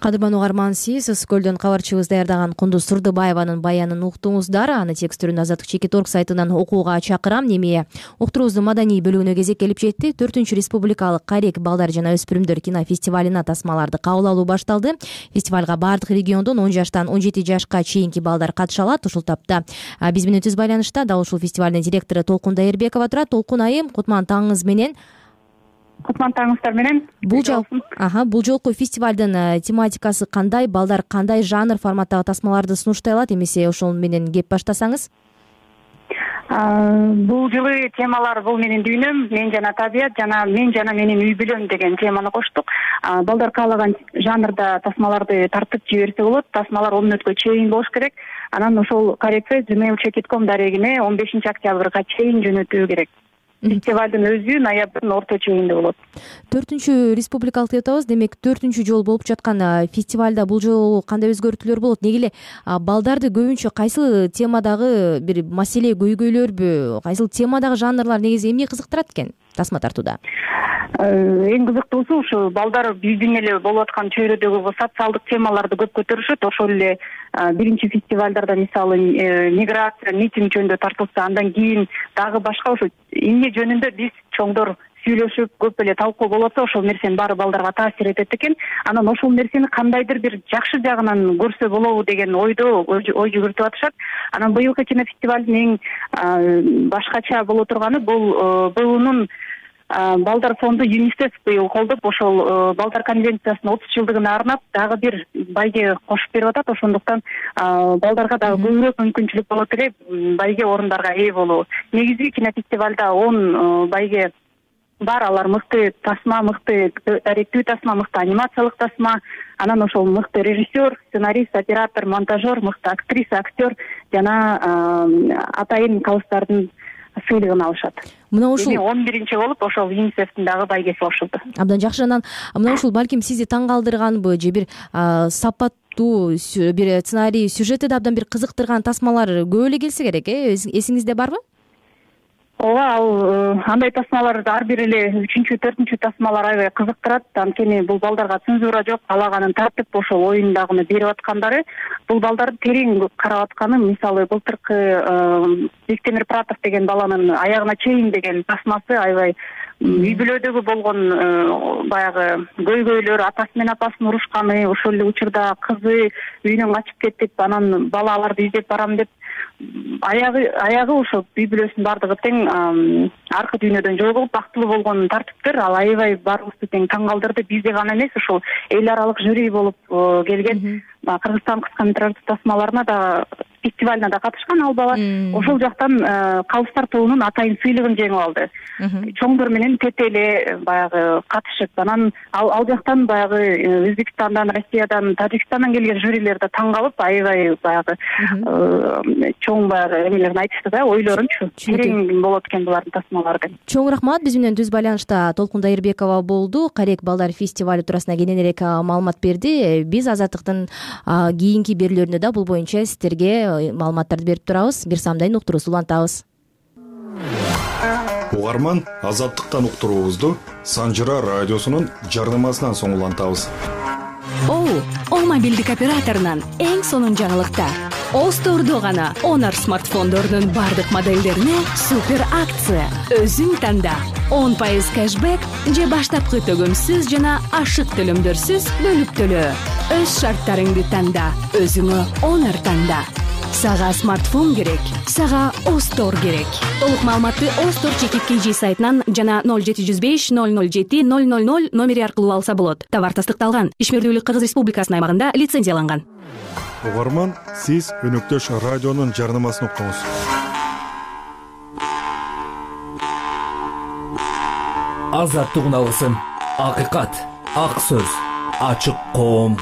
Кадырман угарман, сиз Көлдөн кабарчыбыз даярдаган Кундуз Турдубаеванын баянын уктуңуздар. Аны текстүрүн Азаттык Чекит.org сайтынан окууга чакырам. Неме уктуруубуздун маданий бөлүгүнө кезек келип жетти. 4-чү республикалык Карек балдар жана өспүрүмдөр кинофестивалына тасмаларды кабыл алуу башталды. Фестивалга бардык региондон 10 жаштан 17 жашка чейинки балдар катыша алат. Ушул тапта биз менен түз байланышта дал ушул фестивалдын директору Толкун Дайырбекова турат. Толкун айым, кутман таңыңыз менен. Кутман таңыңыздар менен. Бул жолку фестивалдын тематикасы кандай? Балдар кандай жанр форматтагы тасмаларды сунуштай алат? Эмесе ошол менен кеп баштасаңыз? Бул жылы темалар бул менин дүйнөм, мен жана табият жана менин үй бүлөм деген теманы коштук. Балдар каалаган жанрда тасмаларды тартып жиберсе болот. Тасмалар 10 мүнөткө чейин болуш керек. Анан ошол Karek@gmail.com дарегине 15 октябрга чейин жөнөтүү керек. Фестивалдын өзү ноябрдын орто чегинде болот. 4-чү республикалык деп атабыз. Демек 4-чү жолу болуп жаткан фестивалда бул жолу кандай өзгөртүүлөр болот? Неге эле балдарды көбүнчө кайсыл темадагы бир маселе көйгөйлөрбү, кайсыл темадагы жанрлар негизи эмне кызыктырат экен тасма тартууда? Эң кызыктуусу ушу балдар биздин эле болуп аткан чөйрөдөгү социалдык темаларды көп көтөрүшөт. Ошол эле биринчи фестивалдарда мисалы миграция, митинг жөнүндө тартылса, андан кийин дагы башка ошо эмне жөнүндө биз чоңдор сүйлөшүп көп эле талкуу болуп атса, ошол нерсенин баары балдарга таасир этет экен. Анан ошол нерсени кандайдыр бир жакшы жагынан көрсө болобу деген ойдо ой жүгүртүп атышат. Анан быйылкы кинофестивалдын эң башкача боло турганы бул БУнун балдар фонду ЮНИСЕФ быйыл колдоп, ошол балдар конвенциясынын 30 жылдыгына арнап дагы бир байге кошуп берип атат. Ошондуктан балдарга дагы көбүрөөк мүмкүнчүлүк болот эле байге орундарга ээ болуу. Негизи кинофестивалда 10 байге бар. Алар мыкты тасма, мыкты даректүү тасма, мыкты анимациялык тасма, анан ошол мыкты режиссер, сценарист, оператор, монтажер, мыкты актриса, актер жана атайын калыстардын сыйлыгын алышат. Мына ушул 11-чи болуп ошол ЮНИСЕФтин дагы байгеси кошулду. Абдан жакшы. Анан мына ушул балким сизди таң калтырганбы же бир сапаттуу бир сценарий, сюжети да абдан бир кызыктырган тасмалар көп эле келсе керек, эсиңизде барбы? Ооба, ал андай тасмалар ар бир эле 3-чү, 4-чү тасмалар аябай кызыктырат. Анткени бул балдарга цензура жок, каалаганын тартып ошол оюндагыны берип аткандары. Бул балдарды терең карап атканы, мисалы былтыркы Бектемир Пратов деген баланын аягына чейин деген тасмасы аябай үй бүлөдөгү болгон баягы көйгөйлөр, атасы менен апасын урушканы, ошол эле учурда кызы үйүнөн качып кетип, анан бала аларды издеп барам деп аягы ошо үй бүлөсүнүн баардыгы тең аркы дүйнөдөн жогулуп бактылуу болгонун тартыптыр. Ал аябай баарыбызды тең таң калтырды. Бизде гана эмес, ошол эл аралык жюри болуп келген Кыргызстан кыска метраждуу тасмаларына да, фестивалына да катышкан ал бала. Ошол жактан Калыстар тобунун атайын сыйлыгын жеңип алды. Чоңдор менен тете эле баягы катышып, анан ал жактан баягы Өзбекстандан, Россиядан, Тажикстандан келген жюрилер да таң калып, аябай баягы чоң баягы эмелерин айтышты да, ойлорунчу. Терең болот экен булардын тасмалары деп. Чоң рахмат. Биз менен түз байланышта Толкун Дайырбекова болду. Карек балдар фестивали туурасында кененирээк маалымат берди. Биз Азаттыктын кийинки берүүлөрүндө да бул боюнча сиздерге маалыматтарды берип турабыз. Бир самдайын уктуруусу улантабыз. Угарман, Азаттыктан уктуруубузду Санжыра радиосунун жарнамасынан соң улантабыз. О мобилдик операторунан эң сонун жаңылыкта. О стордо гана Honor смартфондорунун бардык моделдерине супер акция. Өзүң танда 10% кэшбэк же баштапкы төгөмсүз жана ашык төлөмдөрсүз бөлүп төлөө. Өз шарттарыңды танда, өзүңө Honor танда. Сага смартфон керек, сага Остор керек. Толук маалыматты Остор ЧКК сайтынан жана 0705 007 000 номери аркылуу алса болот. Товар тастыкталган. Ишмердүүлүк Кыргыз Республикасынын аймагында лицензияланган. Угарман, сиз Өнөктөш радионун жарнамасын уктуңуз. Азаттыгын алгысың. Акыйкат, ак сөз, ачык коом.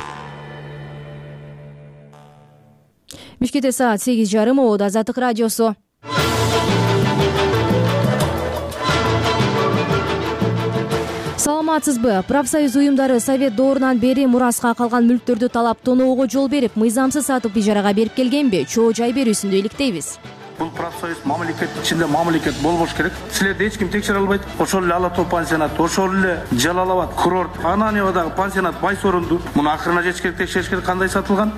Бишкекте саат 8:30. Ободо Азаттык радиосу. Саламатсызбы? Профсоюз уюмдары Совет доорунан бери мураска калган мүлктөрдү талап тоноого жол берип, мыйзамсыз сатып ижарага берип келгенби? Чоо жай берүүсүндө иликтейбиз. Бул профсоюз мамлекеттин ичинде мамлекет болбош керек. Силерди эч ким текшере албайт. Ошол эле Ала Тоо пансионат, ошол эле Жалал Абад курорт, Ананьевадагы пансионат Байсорунду муну акырына жетиш керек, текшериш керек, кандай сатылган.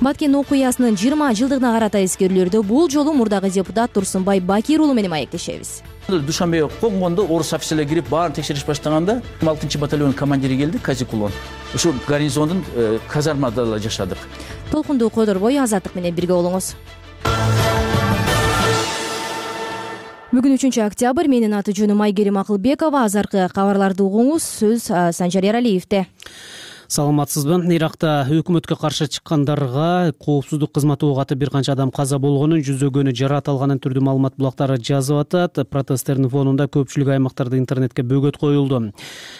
Баткен окуясынын 20 жылдыгына карата эскерүүлөрдү бул жолу мурдагы депутат Турсунбай Бакир уулу менен маектешебиз. Душанбеге конгондо орус офицерлери кирип баарын текшериш баштаганда 6-батальон командири келди, Казикулон. Ошо гарнизондун казармада жашадык. Толкунду койдорбой Азаттык менен бирге болуңуз. Бүгүн 3-октябрь. Менин аты жөнүм Айгерим Акылбекова. Азыркы кабарларды угуңуз. Сөз Санжар Эралиевде. Саламатсызбы? Иракта өкмөткө каршы чыккандарга коопсуздук кызматы ок атып бир канча адам каза болгонун, жүздөгөнү жараат алганын түрдүү маалымат булактары жазып атат. Протесттердин фонунда көпчүлүк аймактарда интернетке бөгөт коюлду.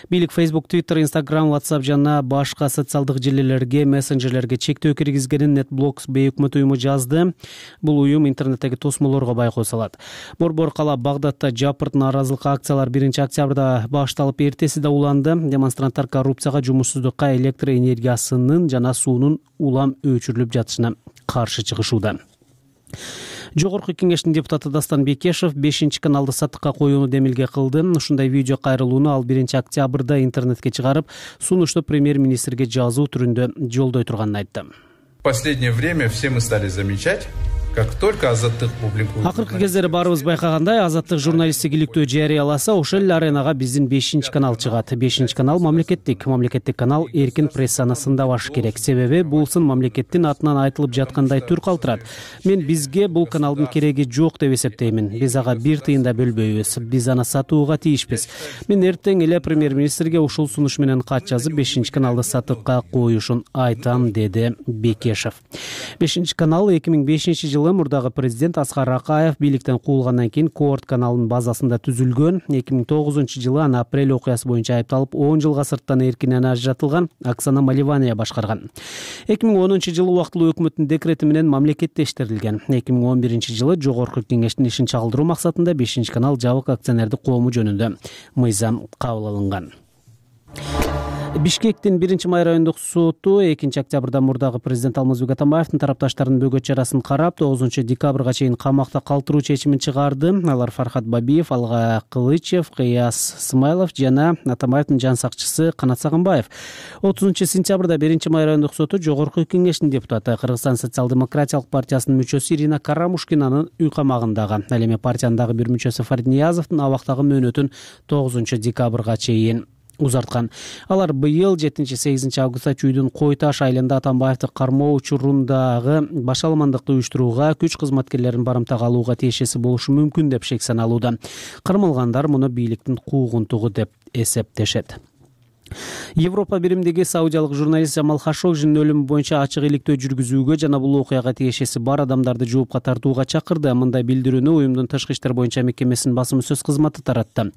Бийлик Facebook, Twitter, Instagram, WhatsApp жана башка социалдык желилерге, мессенджерлерге чектөө киргизгенин Netblocks бейөкмөт уюму жазды. Бул уюм интернеттеги тосмолорго байкоо салат. Борбор кала Багдадта жапырт нааразылык акциялар 1-октябрда башталып, эртеси да уланды. Демонстранттар коррупцияга, жумушсуздукка, электр энергиясынын жана суунун улам өчүрүлүп жатышына каршы чыгышууда. Жогорку кеңештин депутаты Дастан Бекешев 5-каналды саттыкка коюуну демилге кылды. Ушундай видео кайрылууну ал 1-октябрда интернетке чыгарып, сунушту премьер-министрге жазуу түрүндө жолдой турганын айтты. В последнее время все мы стали замечать, как только Азаттык публикует. Акыркы кездери баарыбыз байкагандай, Азаттык журналисттик иликтөө жарыяласа, ошол эле аренага биздин 5-канал чыгат. 5-канал мамлекеттик канал, эркин прессаны сындабаш керек. Себеби бул сын мамлекеттин атынан айтылып жаткандай түр калтырат. Мен бизге бул каналдын кереги жок деп эсептеймин. Биз ага бир тыйын да бөлбөйбүз. Биз аны сатууга тийишпиз. Мен эртең эле премьер-министрге ушул сунуш менен кат жазып, 5-каналды сатыкка коюшун айтам, деди Бекешев. 5-канал 2005 мурдагы президент Аскар Акаев бийликтен куулгандан кийин Коорт каналынын базасында түзүлгөн. 2009-жылы аны апрель окуясы боюнча айыпталып 10 жылга сырттан эркинен ажыратылган Оксана Маливания башкарган. 2010-жылы убактылуу өкмөттүн декрети менен мамлекеттештирилген. 2011-жылы жогорку кеңештин ишин чагылдыруу максатында 5-канал жабык акционердик коому жөнүндө мыйзам кабыл алынган. Бишкектин 1-Май райондук соту 2-октябрда мурдагы президент Алмазбек Атамбаевдин тарапташтарынын бөгөт чарасын карап, 9-декабрга чейин камакта калтыруу чечимин чыгарды. Алар Фархат Бабиев, Алга Кылычев, Кыяс Смайлов жана Атамбаевдин жан сакчысы Канат Сагынбаев. 30-сентябрда 1-Май райондук соту жогорку кеңештин депутаты, Кыргызстан социал-демократиялык партиясынын мүчөсү Ирина Карамушкинанын үй камагындагы, ал эми партиянын дагы бир мүчөсү Фарид Ниязовдун абактагы мөөнөтүн 9-декабрга чейин узарткан. Алар быйыл 7-8 августта Чүйдүн Кой Таш айылында Атамбаевди кармоо учурундагы башаламандыкты уюштурууга, күч кызматкерлерин барымтага алууга тиешеси болушу мүмкүн деп шек саналууда. Кармалгандар муну бийликтин куугунтугу деп эсептешет. Европа биримдиги саудиялык журналист Жамал Хашогжинин өлүмү боюнча ачык иликтөө жүргүзүүгө жана бул окуяга тиешеси бар адамдарды жоопко тартууга чакырды. Мындай билдирүүнү уюмдун тышкы иштер боюнча мекемесинин басым сөз кызматы таратты.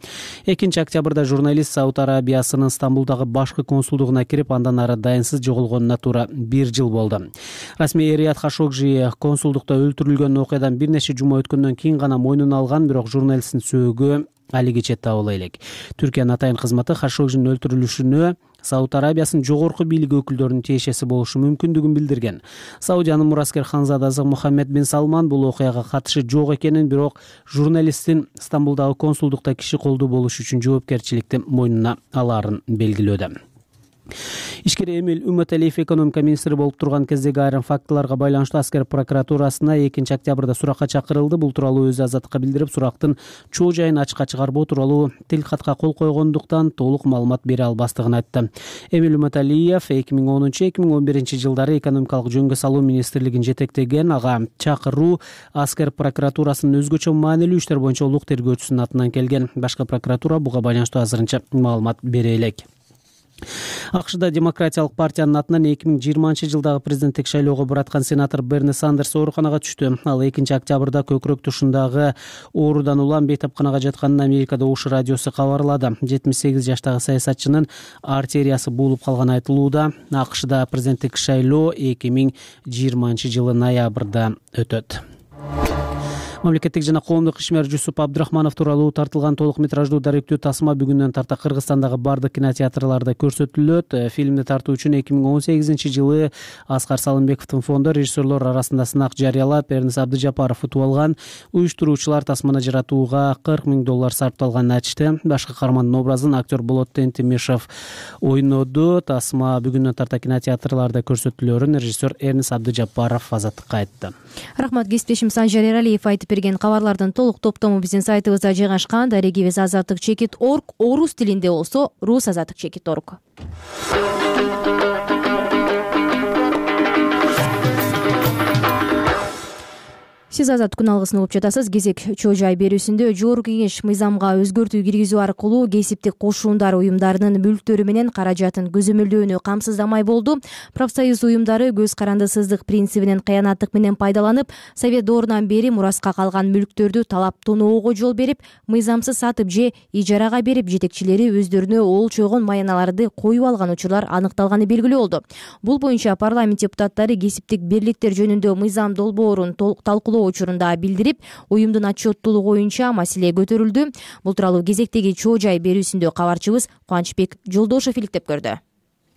2-октябрда журналист Сауд Арабиясынын Стамбулдагы башкы консулдугуна кирип, андан ары дайынсыз жоголгонуна туура 1 жыл болду. Расмий Рият Хашогжи консулдукта өлтүрүлгөн окуядан бир нече жума өткөндөн кийин гана мойнуна алган, бирок журналисттин сөөгү алигиче табыла элек. Түркиянын атайын кызматы Хашогжинин өлтүрүлүшүнө Сауд Арабиясынын жогорку бийлиги өкүлдөрүнүн тиешеси болушу мүмкүндүгүн билдирген. Саудиянын мураскер ханзадасы Мухаммед бин Салман бул окуяга катышы жок экенин, бирок журналисттин Стамбулдагы консулдукта киши колдуу болуш үчүн жоопкерчиликти мойнуна алаарын белгилөөдө. Ишкер Эмиль Үмөталиев экономика министри болуп турган кездеги айрым фактыларга байланыштуу аскер прокуратурасына 2-октябрда суракка чакырылды. Бул тууралуу өзү Азаттыкка билдирип, сурактын чоо жайын ачыкка чыгарбоо тууралуу тилкатка кол койгондуктан толук маалымат бере албастыгын айтты. Эмиль Үмөталиев 2010-2011 жылдары экономикалык жөнгө салуу министрлигин жетектеген. Ага чакыруу аскер прокуратурасынын өзгөчө маанилүү иштер боюнча улук тергөөчүсүнүн атынан келген. Башкы прокуратура буга байланыштуу азырынча маалымат бере элек. АКШда Демократиялык партиянын атынан 2020 жылдагы президенттик шайлоого бараткан сенатор Берни Сандерс ооруканага түштү. Ал 2-октябрда көкүрөк тушундагы оорудан улам бейтапканага жатканын Америкада ОШ радиосу кабарлады. 78 жаштагы саясатчынын артериясы буулуп калганы айтылууда. АКШда президенттик шайлоо 2020 жылы ноябрда өтөт. Мамлекеттик жана коомдук ишмер Жусуп Абдрахманов тууралуу тартылган толук метраждуу даректүү тасма бүгүндөн тарта Кыргызстандагы бардык кинотеатрларда көрсөтүлөт. Фильмди тартуу үчүн 2018 жылы Аскар Салымбековдун фонду режиссерлор арасында сынак жарыялап, Эрнис Абдыжапаров утуп алган. Уюштуруучулар тасманы жаратууга $40 000 сарпталганын айтышты. Башкы каармандын образын актер Болот Тентимишев ойноду. Тасма бүгүндөн тарта кинотеатрларда көрсөтүлөрүн режиссер Эрнис Абдыжапаров Азаттыкка айтты. Рахмат, кесиптешим Санжар Эралиев айтып берген кабарлардын толук топтому биздин сайтыбызда жайгашкан. Дарегибиз azattikchekit.org, орус тилинде болсо rus@azattikchekit.org. Сиз Азат күн алгысын угуп жатасыз. Кезек чоо жай берүүсүндө Жогорку Кеңеш мыйзамга өзгөртүү киргизүү аркылуу кесиптик кошундар уюмдарынын мүлктөрү менен каражатын көзөмөлдөөнү камсыздамай болду. Профсоюз уюмдары көз карандысыздык принцибинен кыянаттык менен пайдаланып, Совет доорунан бери мураска калган мүлктөрдү талап тоноого жол берип, мыйзамсыз сатып же ижарага берип, жетекчилери өздөрүнө олчойгон маяналарды коюп алган учурлар аныкталганы белгилүү болду. Бул боюнча парламент депутаттары кесиптик бирликтер жөнүндө мыйзам долбоорун талкуулоо учурунда билдирип, уюмдун отчеттуулугу боюнча маселе көтөрүлдү. Бул тууралуу кезектеги чоо жай берүүсүндө кабарчыбыз Кубанычбек Жолдошев иликтеп көрдү.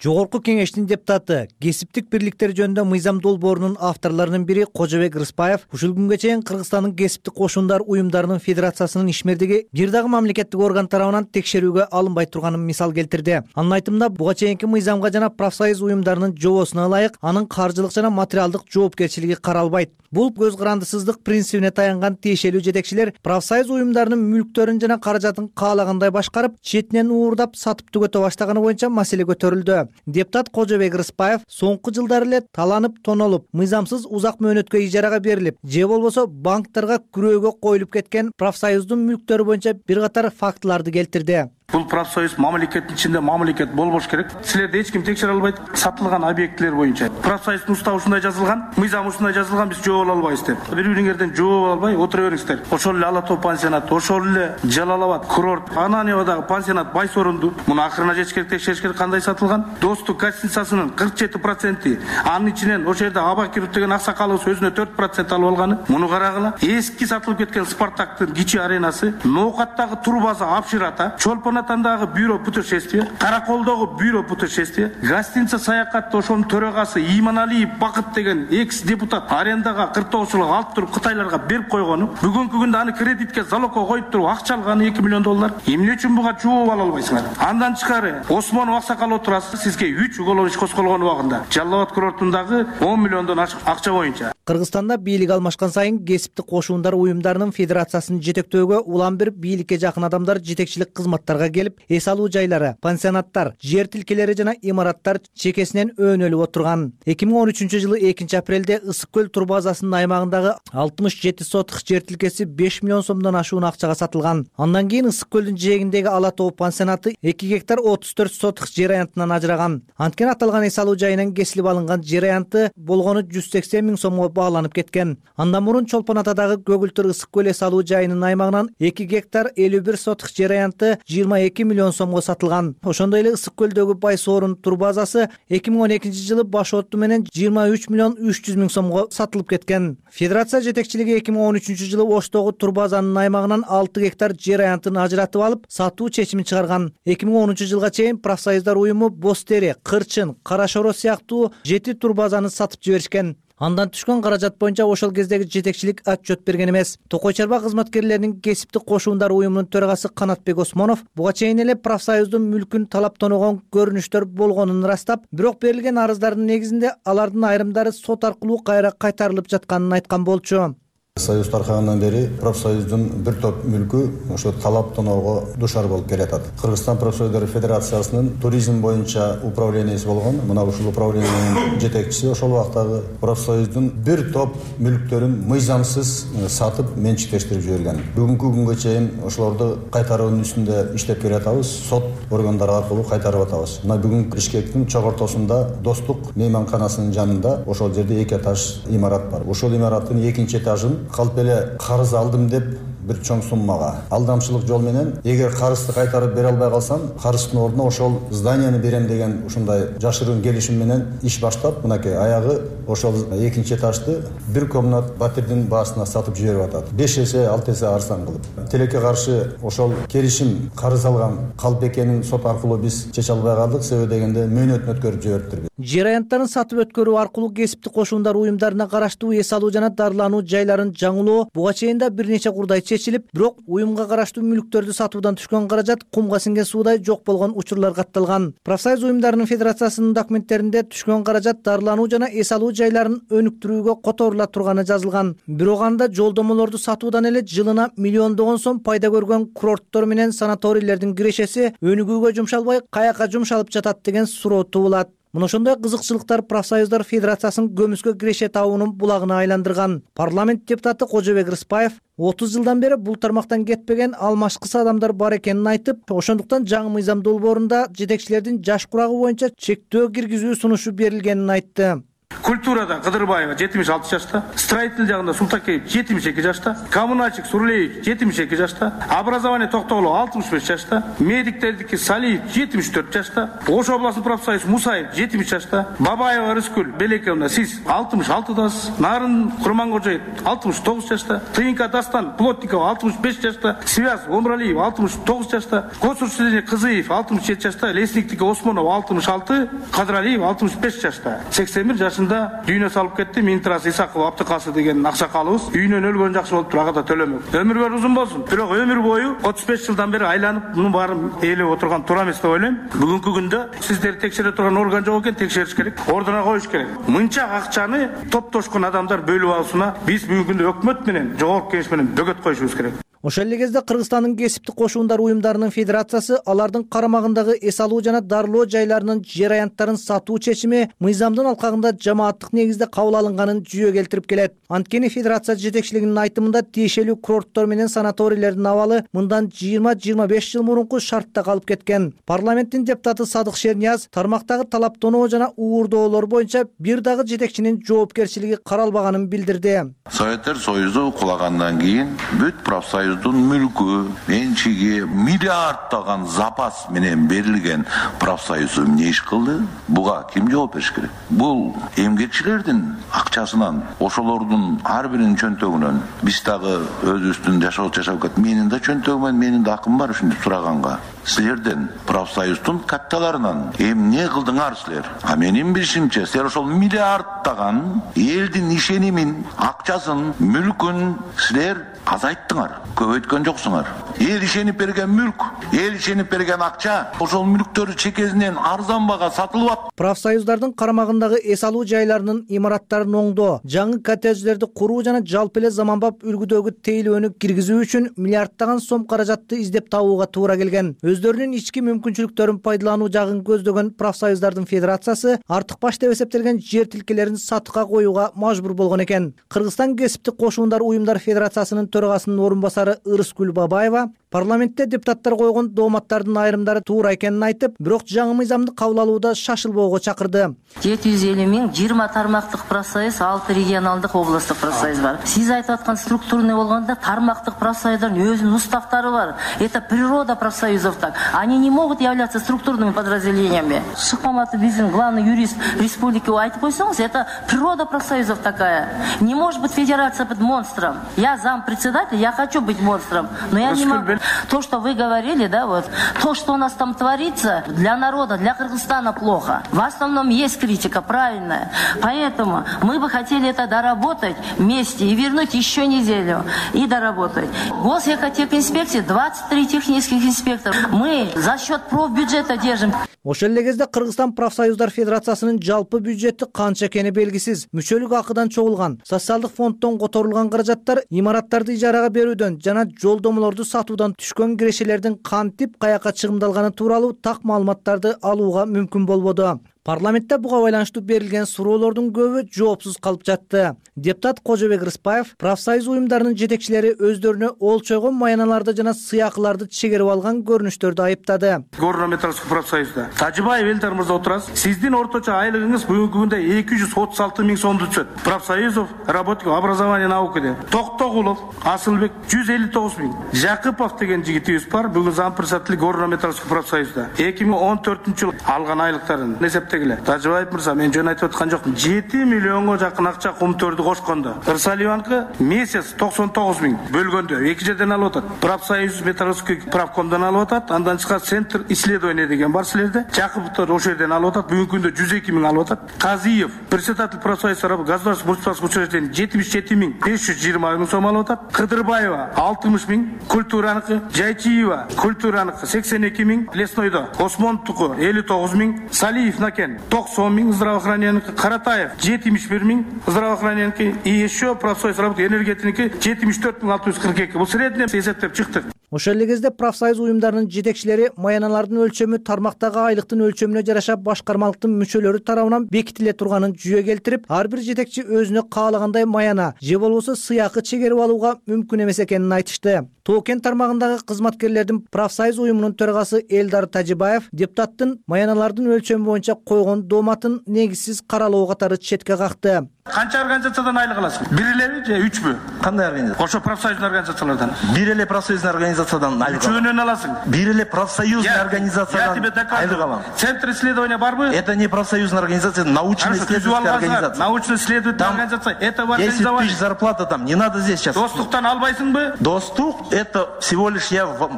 Жогорку Кеңештин депутаты, кесиптик бирликтер жөнүндө мыйзам долбоорунун авторлорунун бири Кожобек Рыспаев ушул күнгө чейин Кыргызстандын кесиптик кошундар уюмдарынын федерациясынын ишмердиги бир дагы мамлекеттик орган тарабынан текшерүүгө алынбай турганын мисал келтирди. Анын айтымында, буга чейинки мыйзамга жана профсоюз уюмдарынын жобосуна ылайык анын каржылык жана материалдык жоопкерчилиги каралбайт. Бул көз карандысыздык принцибине таянган тиешелүү жетекчилер профсоюз уюмдарынын мүлктөрүн жана каражатын каалагандай башкарып, четинен уурдап сатып түгөтө баштаганы боюнча маселе көтөрүлдү. Депутат Кожобек Рыспаев соңку жылдары эле таланып, тонолуп, мыйзамсыз узак мөөнөткө ижарага берилип, же болбосо банктарга күрөөгө коюлуп кеткен профсоюздун мүлктөрү боюнча бир катар фактыларды келтирди. Бул профсоюз мамлекеттин ичинде мамлекет болбош керек. Силерди эч ким текшере албайт сатылган объектилер боюнча. Профсоюздун уставы ушундай жазылган, мыйзам ушундай жазылган, биз жооп албайбыз деп. Бири-бириңерден жооп албай отура бериңиздер. Ошол эле Ала Тоо пансионат, ошол эле Жалал Абад курорт, Ананьевадагы пансионат Байсорунду муну акырына жетиш керек, текшериш керек, кандай сатылган. Достук гостиницасынын 47%, анын ичинен ошол жерде Абакиров деген аксакалыбыз өзүнө 4% алып алганы. Муну карагыла. Эски сатылып кеткен Спартактын кичи аренасы, Ноокаттагы турбаза Апширата, Чолпонатандагы бюро путешествия, Караколдогу бюро путешествия, гостиница Саякатта ошонун төрагасы Иманалиев Бакыт деген экс-депутат арендага 49 алып туруп Кытайларга берип койгону, бүгүнкү күндө аны кредитке залогко коюп туруп акча алганы $2 миллион. Эмне үчүн буга жооп ала албайсыңар? Андан тышкары Осмонов аксакал отурасыз, сизге 3 уголовный иш козголгон убагында Жалал Абад курортундагы $10 миллиондон ашык акча боюнча. Кыргызстанда бийлик алмашкан сайын кесиптик кошундар уюмдарынын федерациясын жетектөөгө улам бир бийликке жакын адамдар жетекчилик кызматтарга келип, эс алуу жайлары, пансионаттар, жер тилкелери жана имараттар чекесинен өөнөлүп отурган. 2013 жылы 2 апрелде Ысык көл турбазасынын аймагындагы 67 сотых жер тилкеси $5 миллион ашуун акчага сатылган. Андан кийин Ысык көлдүн жээгиндеги Ала Тоо пансионаты 2 гектар 34 сотых жер аянтынан ажыраган. Анткени аталган эс алуу жайынан кесилип алынган жер аянты болгону $180 000 бааланып кеткен. Андан мурун Чолпон Атадагы Көгүлтүр Ысык көл эс алуу жайынын аймагынан 2 гектар 51 сотых жер аянты $22 миллион сатылган. Ошондой эле Ысык көлдөгү Байсорун турбазасы 2012 жылы баш оту менен $23 миллион 300 000 сатылып кеткен. Федерация жетекчилиги 2013 жылы Оштогу турбазанын аймагынан 6 гектар жер аянтын ажыратып алып, сатуу чечимин чыгарган. 2010 жылга чейин профсоюздар уюму Бостери, Кырчын, Кара Шоро сыяктуу 7 турбазаны сатып жиберишкен. Андан түшкөн каражат боюнча ошол кездеги жетекчилик отчет берген эмес. Токой чарба кызматкерлеринин кесиптик кошуундары уюмунун төрагасы Канатбек Осмонов буга чейин эле профсоюздун мүлкүн талаптанууга көрүнүштөр болгонун ырастап, бирок берилген арыздардын негизинде алардын айрымдары сот аркылуу кайра кайтарылып жатканын айткан болчу. Союз таркагандан бери профсоюздун бир топ мүлкү ошо талаптоноого душар болуп келатат. Кыргызстан профсоюздар федерациясынын туризм боюнча управленияси болгон, мына ушул управлениянын жетекчиси ошол убактагы профсоюздун бир топ мүлктөрүн мыйзамсыз сатып менчиктештирип жиберген. Бүгүнкү күнгө чейин ошолорду кайтаруунун үстүндө иштеп келатабыз, сот органдары аркылуу кайтарып атабыз. Мына бүгүн Бишкектин чогортосунда Достук мейманканасынын жанында ошол жерде 2 этаж имарат бар. Ошол имараттын 2 этажын калп эле карыз алдым деп бир чоң суммага алдамчылык жол менен эгер карызды кайтарып бере албай калсам, карыздын ордуна ошол зданияны берем деген ушундай жашыруун келишим менен иш баштап, мынакей аягы ошол 2 этажды бир комнат батирдин баасына сатып жиберип атат. 5 эсе 6 эсе арзан кылып. Тилекке каршы ошол келишим карыз алган калп экенин сот аркылуу биз чече албай калдык, себеби дегенде мөөнөтүн өткөрүп жибериптир. Жер аянттарын сатып өткөрүү аркылуу кесиптик кошуундар уюмдарына караштуу эс алуу жана дарылануу жайларын жаңылоо буга чейин да бир нече курдай чечилип, бирок уюмга караштуу мүлктөрдү сатуудан түшкөн каражат кумга сиңген суудай жок болгон учурлар катталган. Профсоюз уюмдарынын федерациясынын документтеринде түшкөн каражат дарылануу жана эс алуу жайларын өнүктүрүүгө которула турганы жазылган. Бирок анда жолдомолорду сатуудан эле жылына миллиондогон сом пайда көргөн курорттор менен санаторийлердин кирешеси өнүгүүгө жумшалбай каяка жумшалып жатат деген суроо туулат. Мына ошондой кызыкчылыктар профсоюздар федерациясынын көмүскө киреше табуунун булагына айландырган. Парламент депутаты Кожобек Рыспаев 30 жылдан бери бул тармактан кетпеген алмашкыс адамдар бар экенин айтып, ошондуктан жаңы мыйзам долбоорунда жетекчилердин жаш курагы боюнча чектөө киргизүү сунушу берилгенин айтты. Культурада Кыдырбаева 76 жашта, строитель жагында Султакеев 72 жашта, коммуналчик Сурлеев 72 жашта, образование Токтогулов 65 жашта, медиктердики Салиев 74 жашта, Ош областын профсоюз Мусаев 70 жашта, Бабаева Рыскүл Белековна сиз 66дасыз, Нарын Курмангожоев 69 жашта, Тыйынка Дастан Плотникова 65 жашта, Связ Омралиев 69 жашта, Косурчилине Кызыев 67 жашта, Лесниктики Осмонов 66, Кадралиев 65 жашта. 81 жашында дүйнө салып кетти. Минтрас Исаков Аптыкасы деген аксакалыбыз үйүнөн өлгөн жакшы болуп ага да төлөмөк. Өмүргөр узун болсун. Бирок өмүр бою 35 жылдан бери айланып, мунун баарын ээлеп отурган туура эмес деп ойлойм. Бүгүнкү күндө сиздерди текшере турган орган жок экен, текшериш керек. Ордуна коюш керек. Мынча акчаны топтошкон адамдар бөлүп алышына биз бүгүнкү күндө өкмөт менен, жогорку кеңеш менен бөгөт коюшубуз керек. Ошол эле кезде Кыргызстандын кесиптик кошуундар уюмдарынын федерациясы алардын карамагындагы эс алуу жана дарылоо жайларынын жер аянттарын сатуу чечими мыйзамдын алкагында жамааттык негизде кабыл алынганын жүйө келтирип келет. Анткени федерация жетекчилигинин айтымында тиешелүү курорттор менен санаторийлердин абалы мындан 20-25 жыл мурунку шартта калып кеткен. Парламенттин депутаты Садык Шернияз тармактагы талаптоноо жана уурдоолор боюнча бир дагы жетекчинин жоопкерчилиги каралбаганын билдирди. Советтер Союзу кулагандан кийин бүт профсоюздун мүлкү, менчиги миллиарддаган запас менен берилген профсоюз эмне иш кылды? Буга ким жооп бериш керек? Бул эмгекчилердин акчасынан, ошолордун ар биринин чөнтөгүнөн биз дагы өзүбүздүн жашап кетти. Менин да чөнтөгүм, менин да акым бар ушинтип сураганга. Силердин профсоюздун катталарынан эмне кылдыңар силер? Менин билишимче, силер ошол миллиарддаган элдин ишенимин, акчасын, мүлкүн силер азайттыңар, көбөйткөн жоксуңар. Эл ишенип берген мүлк, эл ишенип берген акча ошол мүлктөрү чекесинен арзан бага сатылып атат. Профсоюздардын карамагындагы эс алуу жайларынын имараттарын оңдоо, жаңы коттедждерди куруу жана жалпы эле заманбап үлгүдөгү тейлөөнү киргизүү үчүн миллиарддаган сом каражатты издеп табууга туура келген. Өздөрүнүн ички мүмкүнчүлүктөрүн пайдалануу жагын көздөгөн профсоюздардын федерациясы артык баш деп эсептелген жер тилкелерин сатыкка коюуга мажбур болгон экен. Кыргызстан кесиптик кошуундар уюмдар федерациясынын төрагасынын орун басары Ырыскүл Бабаева парламентте депутаттар койгон дооматтардын айрымдары туура экенин айтып, бирок жаңы мыйзамды кабыл алууда шашылбоого чакырды. 750 миң 20 тармактык профсоюз, 6 регионалдык областтык профсоюз бар. Сиз айтып аткан структурный болгондо тармактык профсоюздардын өзүнүн уставтары бар. Это природа профсоюзов так. Они не могут являться структурными подразделениями. Шыкмаматов биздин главный юрист республики айтып койсоңуз, это природа профсоюзов такая. Не может быть федерация быть монстром. Я зампредседатель, я хочу быть монстром, но я не могу. То, что вы говорили, да, вот, то, что у нас там творится, для народа, для Кыргызстана плохо. В основном есть критика, правильная. Поэтому мы бы хотели это доработать вместе и вернуть еще неделю и доработать. Госэкотехинспекции 23 технических инспектора. Мы за счет профбюджета держим. Ошол эле кезде Кыргызстан профсоюздар федерациясынын жалпы бюджети канча экени белгисиз. Мүчөлүк акыдан чогулган, социалдык фонддон которулган каражаттар имараттарды ижарага берүүдөн жана жолдомолорду сатуудан түшкөн кирешелердин кантип каяка чыгымдалганы тууралуу так маалыматтарды алууга мүмкүн болбоду. Парламентте буга байланыштуу берилген суроолордун көбү жоопсуз калып жатты. Депутат Кожобек Рыспаев профсоюз уюмдарынын жетекчилери өздөрүнө олчойгон маяналарды жана сыйакыларды чегерип алган көрүнүштөрдү айыптады. Горно-металлургический профсоюзда Тажибаев Элдар мырза отурасыз. Сиздин орточо айлыгыңыз бүгүнкү күндө 236 миң сомду түшөт. Профсоюзов работников образования наука деп. Токтогулов, Асылбек 159 миң. Жакыпов деген жигитибиз бар. Бүгүн зампредседатель Горно-металлургический профсоюзда 2014-жылы алган айлыктарын Тажибаев мырза, мен жөн айтып аткан жокмун. 7 миллионго жакын акча кумтөрдү кошкондо. Ырсалиеванкы месяц 99 миң бөлгөндө эки жерден алып атат. Профсоюз металлургический правкомдон алып атат. Андан чыккан центр исследования деген бар силерде. Жакыповдор ошол жерден алып атат. Бүгүнкү күндө 102 миң алып атат. Казиев, председатель профсоюза государственных муниципальных учреждений 77 миң 520 миң сом алып атат. Кыдырбаева 60 миң, культураныкы, Жайчиева культураныкы 82 миң, леснойдо Осмонтуку 59 миң, Салиев 90 миң, здравоохраненияки, Каратаев 71 миң, здравоохраненияки и еще профсоюз работы энергетики 74 миң 642. Бул средний эсептеп чыктык. Ошол эле кезде профсоюз уюмдарынын жетекчилери маяналардын өлчөмү тармактагы айлыктын өлчөмүнө жараша башкармалыктын мүчөлөрү тарабынан бекитиле турганын жүйө келтирип, ар бир жетекчи өзүнө каалагандай маяна же болбосо сыйакы чегерип алууга мүмкүн эмес экенин айтышты. Тоокен тармагындагы кызматкерлердин профсоюз уюмунун төрагасы Элдар Тажибаев депутаттын маяналардын өлчөмү боюнча койгон дооматын негизсиз каралоо катары четке какты. Канча организациядан айлык аласың? Бир элеби же үчпү? Кандай организация? Ошо профсоюзный организациялардан. Бир эле профсоюзный организациядан айлык алам. Үчөөнөн аласың. Бир эле профсоюзный организациядан айлык алам. Центр исследования барбы? Это не профсоюзная организация, научно-исследовательская организация. Научно-исследовательская организация. Это в организовании. 10 тысяч зарплата там, не надо здесь сейчас. Достуктан албайсыңбы? Доступ, это всего лишь я в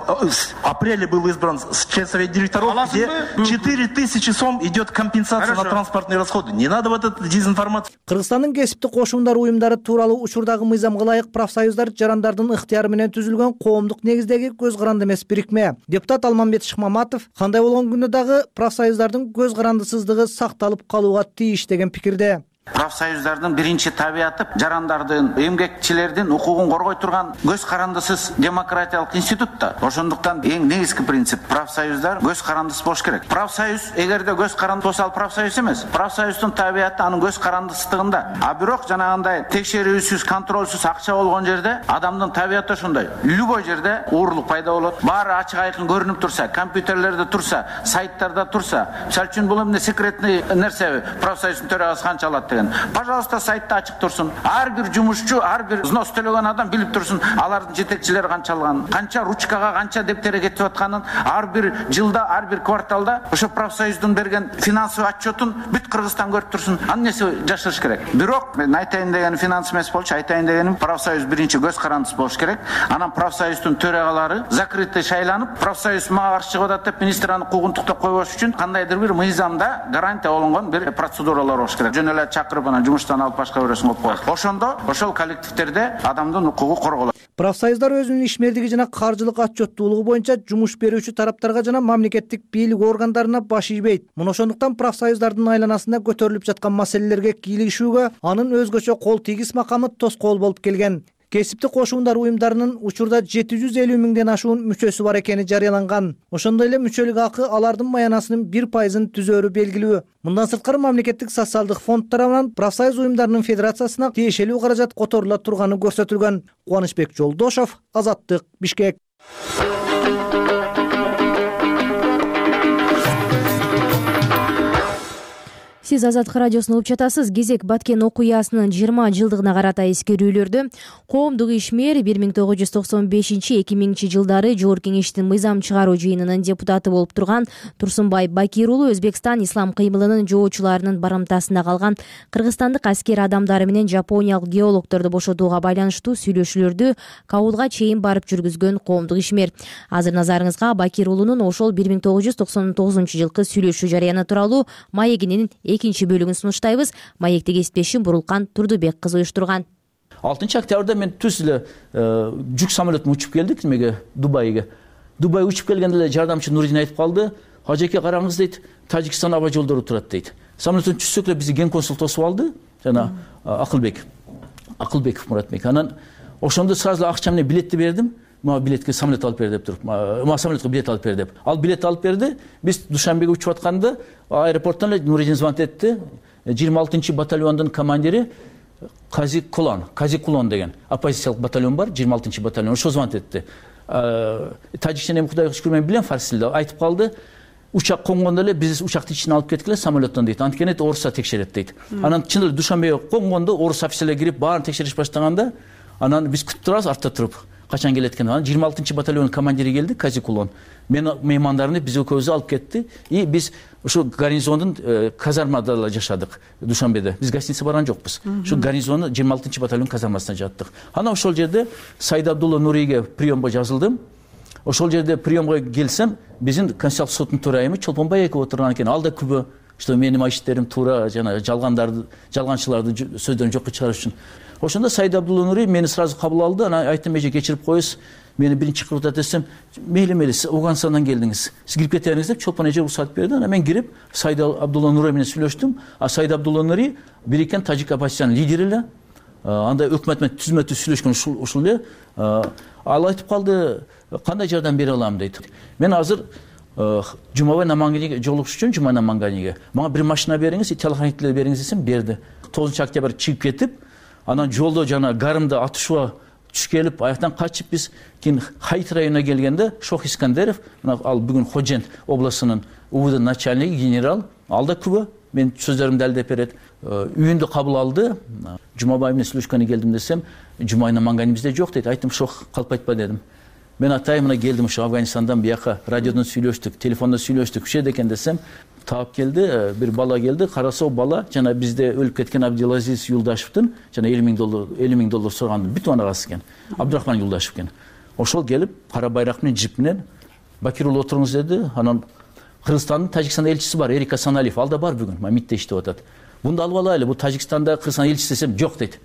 апреле был избран член совета директоров, где 4000 сом идет компенсация на транспортные расходы. Не надо вот эту дезинформацию. Кыргызстандын кесиптик кошундар уюмдары тууралуу учурдагы мыйзамга ылайык профсоюздар жарандардын ыктыяры менен түзүлгөн коомдук негиздеги көз каранды эмес бирикме. Депутат Алмамбет Шыкмаматов кандай болгон күндө дагы профсоюздардын көз карандысыздыгы сакталып калууга тийиш деген пикирде. Профсоюздардын биринчи табияты жарандардын, эмгекчилердин укугун коргой турган көз карандысыз демократиялык институт да. Ошондуктан эң негизги принцип профсоюздар көз карандысыз болуш керек. Профсоюз эгерде көз каранды болсо ал профсоюз эмес. Профсоюздун табияты анын көз карандысыздыгында. А бирок жанагындай текшерүүсүз, контролсуз акча болгон жерде адамдын табияты ошондой. Любой жерде уурлук пайда болот. Баары ачык айкын көрүнүп турса, компьютерлерде турса, сайттарда турса, мисалы үчүн бул эмне секретный нерсе профсоюздун төрагасы канча алат. Пожалуйста, сайтта ачык турсун. Ар бир жумушчу, ар бир взнос төлөгөн адам билип турсун, алардын жетекчилери канча алганын, канча ручкага, канча дептерге кетип атканын, ар бир жылда, ар бир кварталда ошо профсоюздун берген финансовый отчетун бүт Кыргызстан көрүп турсун. Аны нерсе жашырыш керек. Бирок мен айтайын деген финанс эмес болчу, айтайын дегеним профсоюз биринчи көз карандысыз болуш керек. Анан профсоюздун төрагалары закрытый шайланып, профсоюз мага каршы чыгып атат деп министр аны куугунтуктап койбош үчүн кандайдыр бир мыйзамда гарантия болгон бир процедуралар болуш керек. Жөн эле чакырып анан жумуштан алып башка бирөөсүн коюп коет. Ошондо ошол коллективдерде адамдын укугу корголот. Профсоюздар өзүнүн ишмердиги жана каржылык отчеттуулугу боюнча жумуш берүүчү тараптарга жана мамлекеттик бийлик органдарына баш ийбейт. Мына ошондуктан профсоюздардын айланасында көтөрүлүп жаткан маселелерге кийлигишүүгө анын өзгөчө кол тийгис макамы тоскоол болуп келген. Кесиптик кошундар уюмдарынын учурда 750 миңден ашуун мүчөсү бар экени жарыяланган. Ошондой эле мүчөлүк акы алардын маянасынын 1% түзөөрү белгилүү. Мындан сырткары мамлекеттик социалдык фонд тарабынан профсоюз уюмдарынын федерациясына тиешелүү каражат которула турганы көрсөтүлгөн. Кубанычбек Жолдошов, Азаттык, Бишкек. Сиз Азаттык радиосун угуп жатасыз. Кезек Баткен окуясынын 20 жылдыгына карата эскерүүлөрдү. Коомдук ишмер 1995-2000 жылдары Жогорку Кеңештин мыйзам чыгаруу жыйынынын депутаты болуп турган Турсунбай Бакир уулу Өзбекстан ислам кыймылынын жоочуларынын барымтасында калган кыргызстандык аскер адамдары менен жапониялык геологторду бошотууга байланыштуу сүйлөшүүлөрдү Кабулга чейин барып жүргүзгөн коомдук ишмер. Азыр назарыңызга Бакир уулунун ошол 1999 жылкы сүйлөшүү жарыяны тууралуу маегинин экинчи бөлүгүн сунуштайбыз. Маекти кесиптешим Бурулкан Турдубек кызы уюштурган. 6 октябрда мен түз эле жүк самолетун учуп келдик немеге Дубайга. Дубай учуп келгенде эле жардамчы Нуридин айтып калды. Хажеке караңыз дейт, Тажикстан аба жолдору турат дейт. Самолеттен түшсөк эле бизди ген консул тосуп алды. Жана Акылбеков Муратбек. Анан ошондо сразу акча менен билетти бердим. Мага билетке самолет алып бер деп туруп, мага самолетке билет алып бер деп. Ал билет алып берди. Биз Душанбеге учуп атканда аэропорттон эле Нуридин звонок этти. 26 батальондун командири Кази Кулон деген оппозициялык батальон бар, 26 батальон. Ошо звонок этти. Тажикча эми Кудайга шүкүр мен билем фарс тилде. Айтып калды. Учак конгондо эле биз учактын ичине алып кеткиле самолеттон дейт. Анткени орусса текшерет дейт. Анан чын эле Душанбеге конгондо орус офицерлер кирип баарын текшериш баштаганда, анан биз күтүп турабыз артта туруп. Качан келет экен? 26 батальон командири келди, Кази Кулон. Мен меймандарымды биз экөөбүздү алып кетти. И биз ушу гарнизондун казармада эле жашадык Душанбеде. Биз гостиница барган жокпуз. Ушу гарнизондун 26 батальон казармасына жаттык. Анан ошол жерде Саид Абдулла Нурийге приемго жазылдым. Ошол жерде приемго келсем, биздин Конституциялык соттун төрайымы Чолпонбай Эков отурган экен. Ал да күбө, что менин иштерим туура, жана жалганчыларды сөздөрүн жокко чыгарыш үчүн. Ошондо Саид Абдулла Нурий мени сразу кабыл алды. Анан айттым, эже кечирип коесуз. Мени биринчи кыргызда десем, мейли, сиз Ауганстандан келдиңиз. Сиз кирип кете бериңиз деп Чолпон эже уруксат берди. Анан мен кирип Саид Абдулла Нурий менен сүйлөштүм. А Саид Абдулла Нурий бириккен тажик оппозициянын лидери эле. Анда өкмөт менен түзмө-түз сүйлөшкөн ушул эле. Ал айтып калды, кандай жардам бере алам дейт. Мен азыр Жумабай Наманганиге жолугуш үчүн Жумабай Наманганиге мага бир машина бериңиз, телохранителер бериңиз десем, берди. 9 октябрь чыгып кетип, анан жолдо жана гарымды атышууга түшүп келип, аяктан качып биз кийин Хайт районуна келгенде Шох Искандеров, ал бүгүн Ходжент областынын УВД начальниги генерал, ал да күбө, мен сөздөрүмдү далилдеп берет. Үйүндө кабыл алды. Жумабай менен сүйлөшкөнү келдим десем, Жумабай Намангани бизде жок дейт. Айттым, Шох калп айтпа дедим. Мен атайын мына келдим ушу Афганистандан бияка радиодон сүйлөштүк, телефондо сүйлөштүк, күчөдө экен десем, таап келди, бир бала келди, караса о бала жана бизде өлүп кеткен Абдилазиз Юлдашевдин жана $50,000 сураган бүт анагасы экен. Абдурахман Юлдашев экен. Ошол келип, кара байрак менен жип менен Бакир уулу отуруңуз деди. Анан Кыргызстандын Тажикстанда элчиси бар, Эрик Асаналиев, ал да бар бүгүн, МИДте иштеп атат. Бунду алып алайлы, бул Тажикстанда Кыргызстан элчиси десем, жок дейт.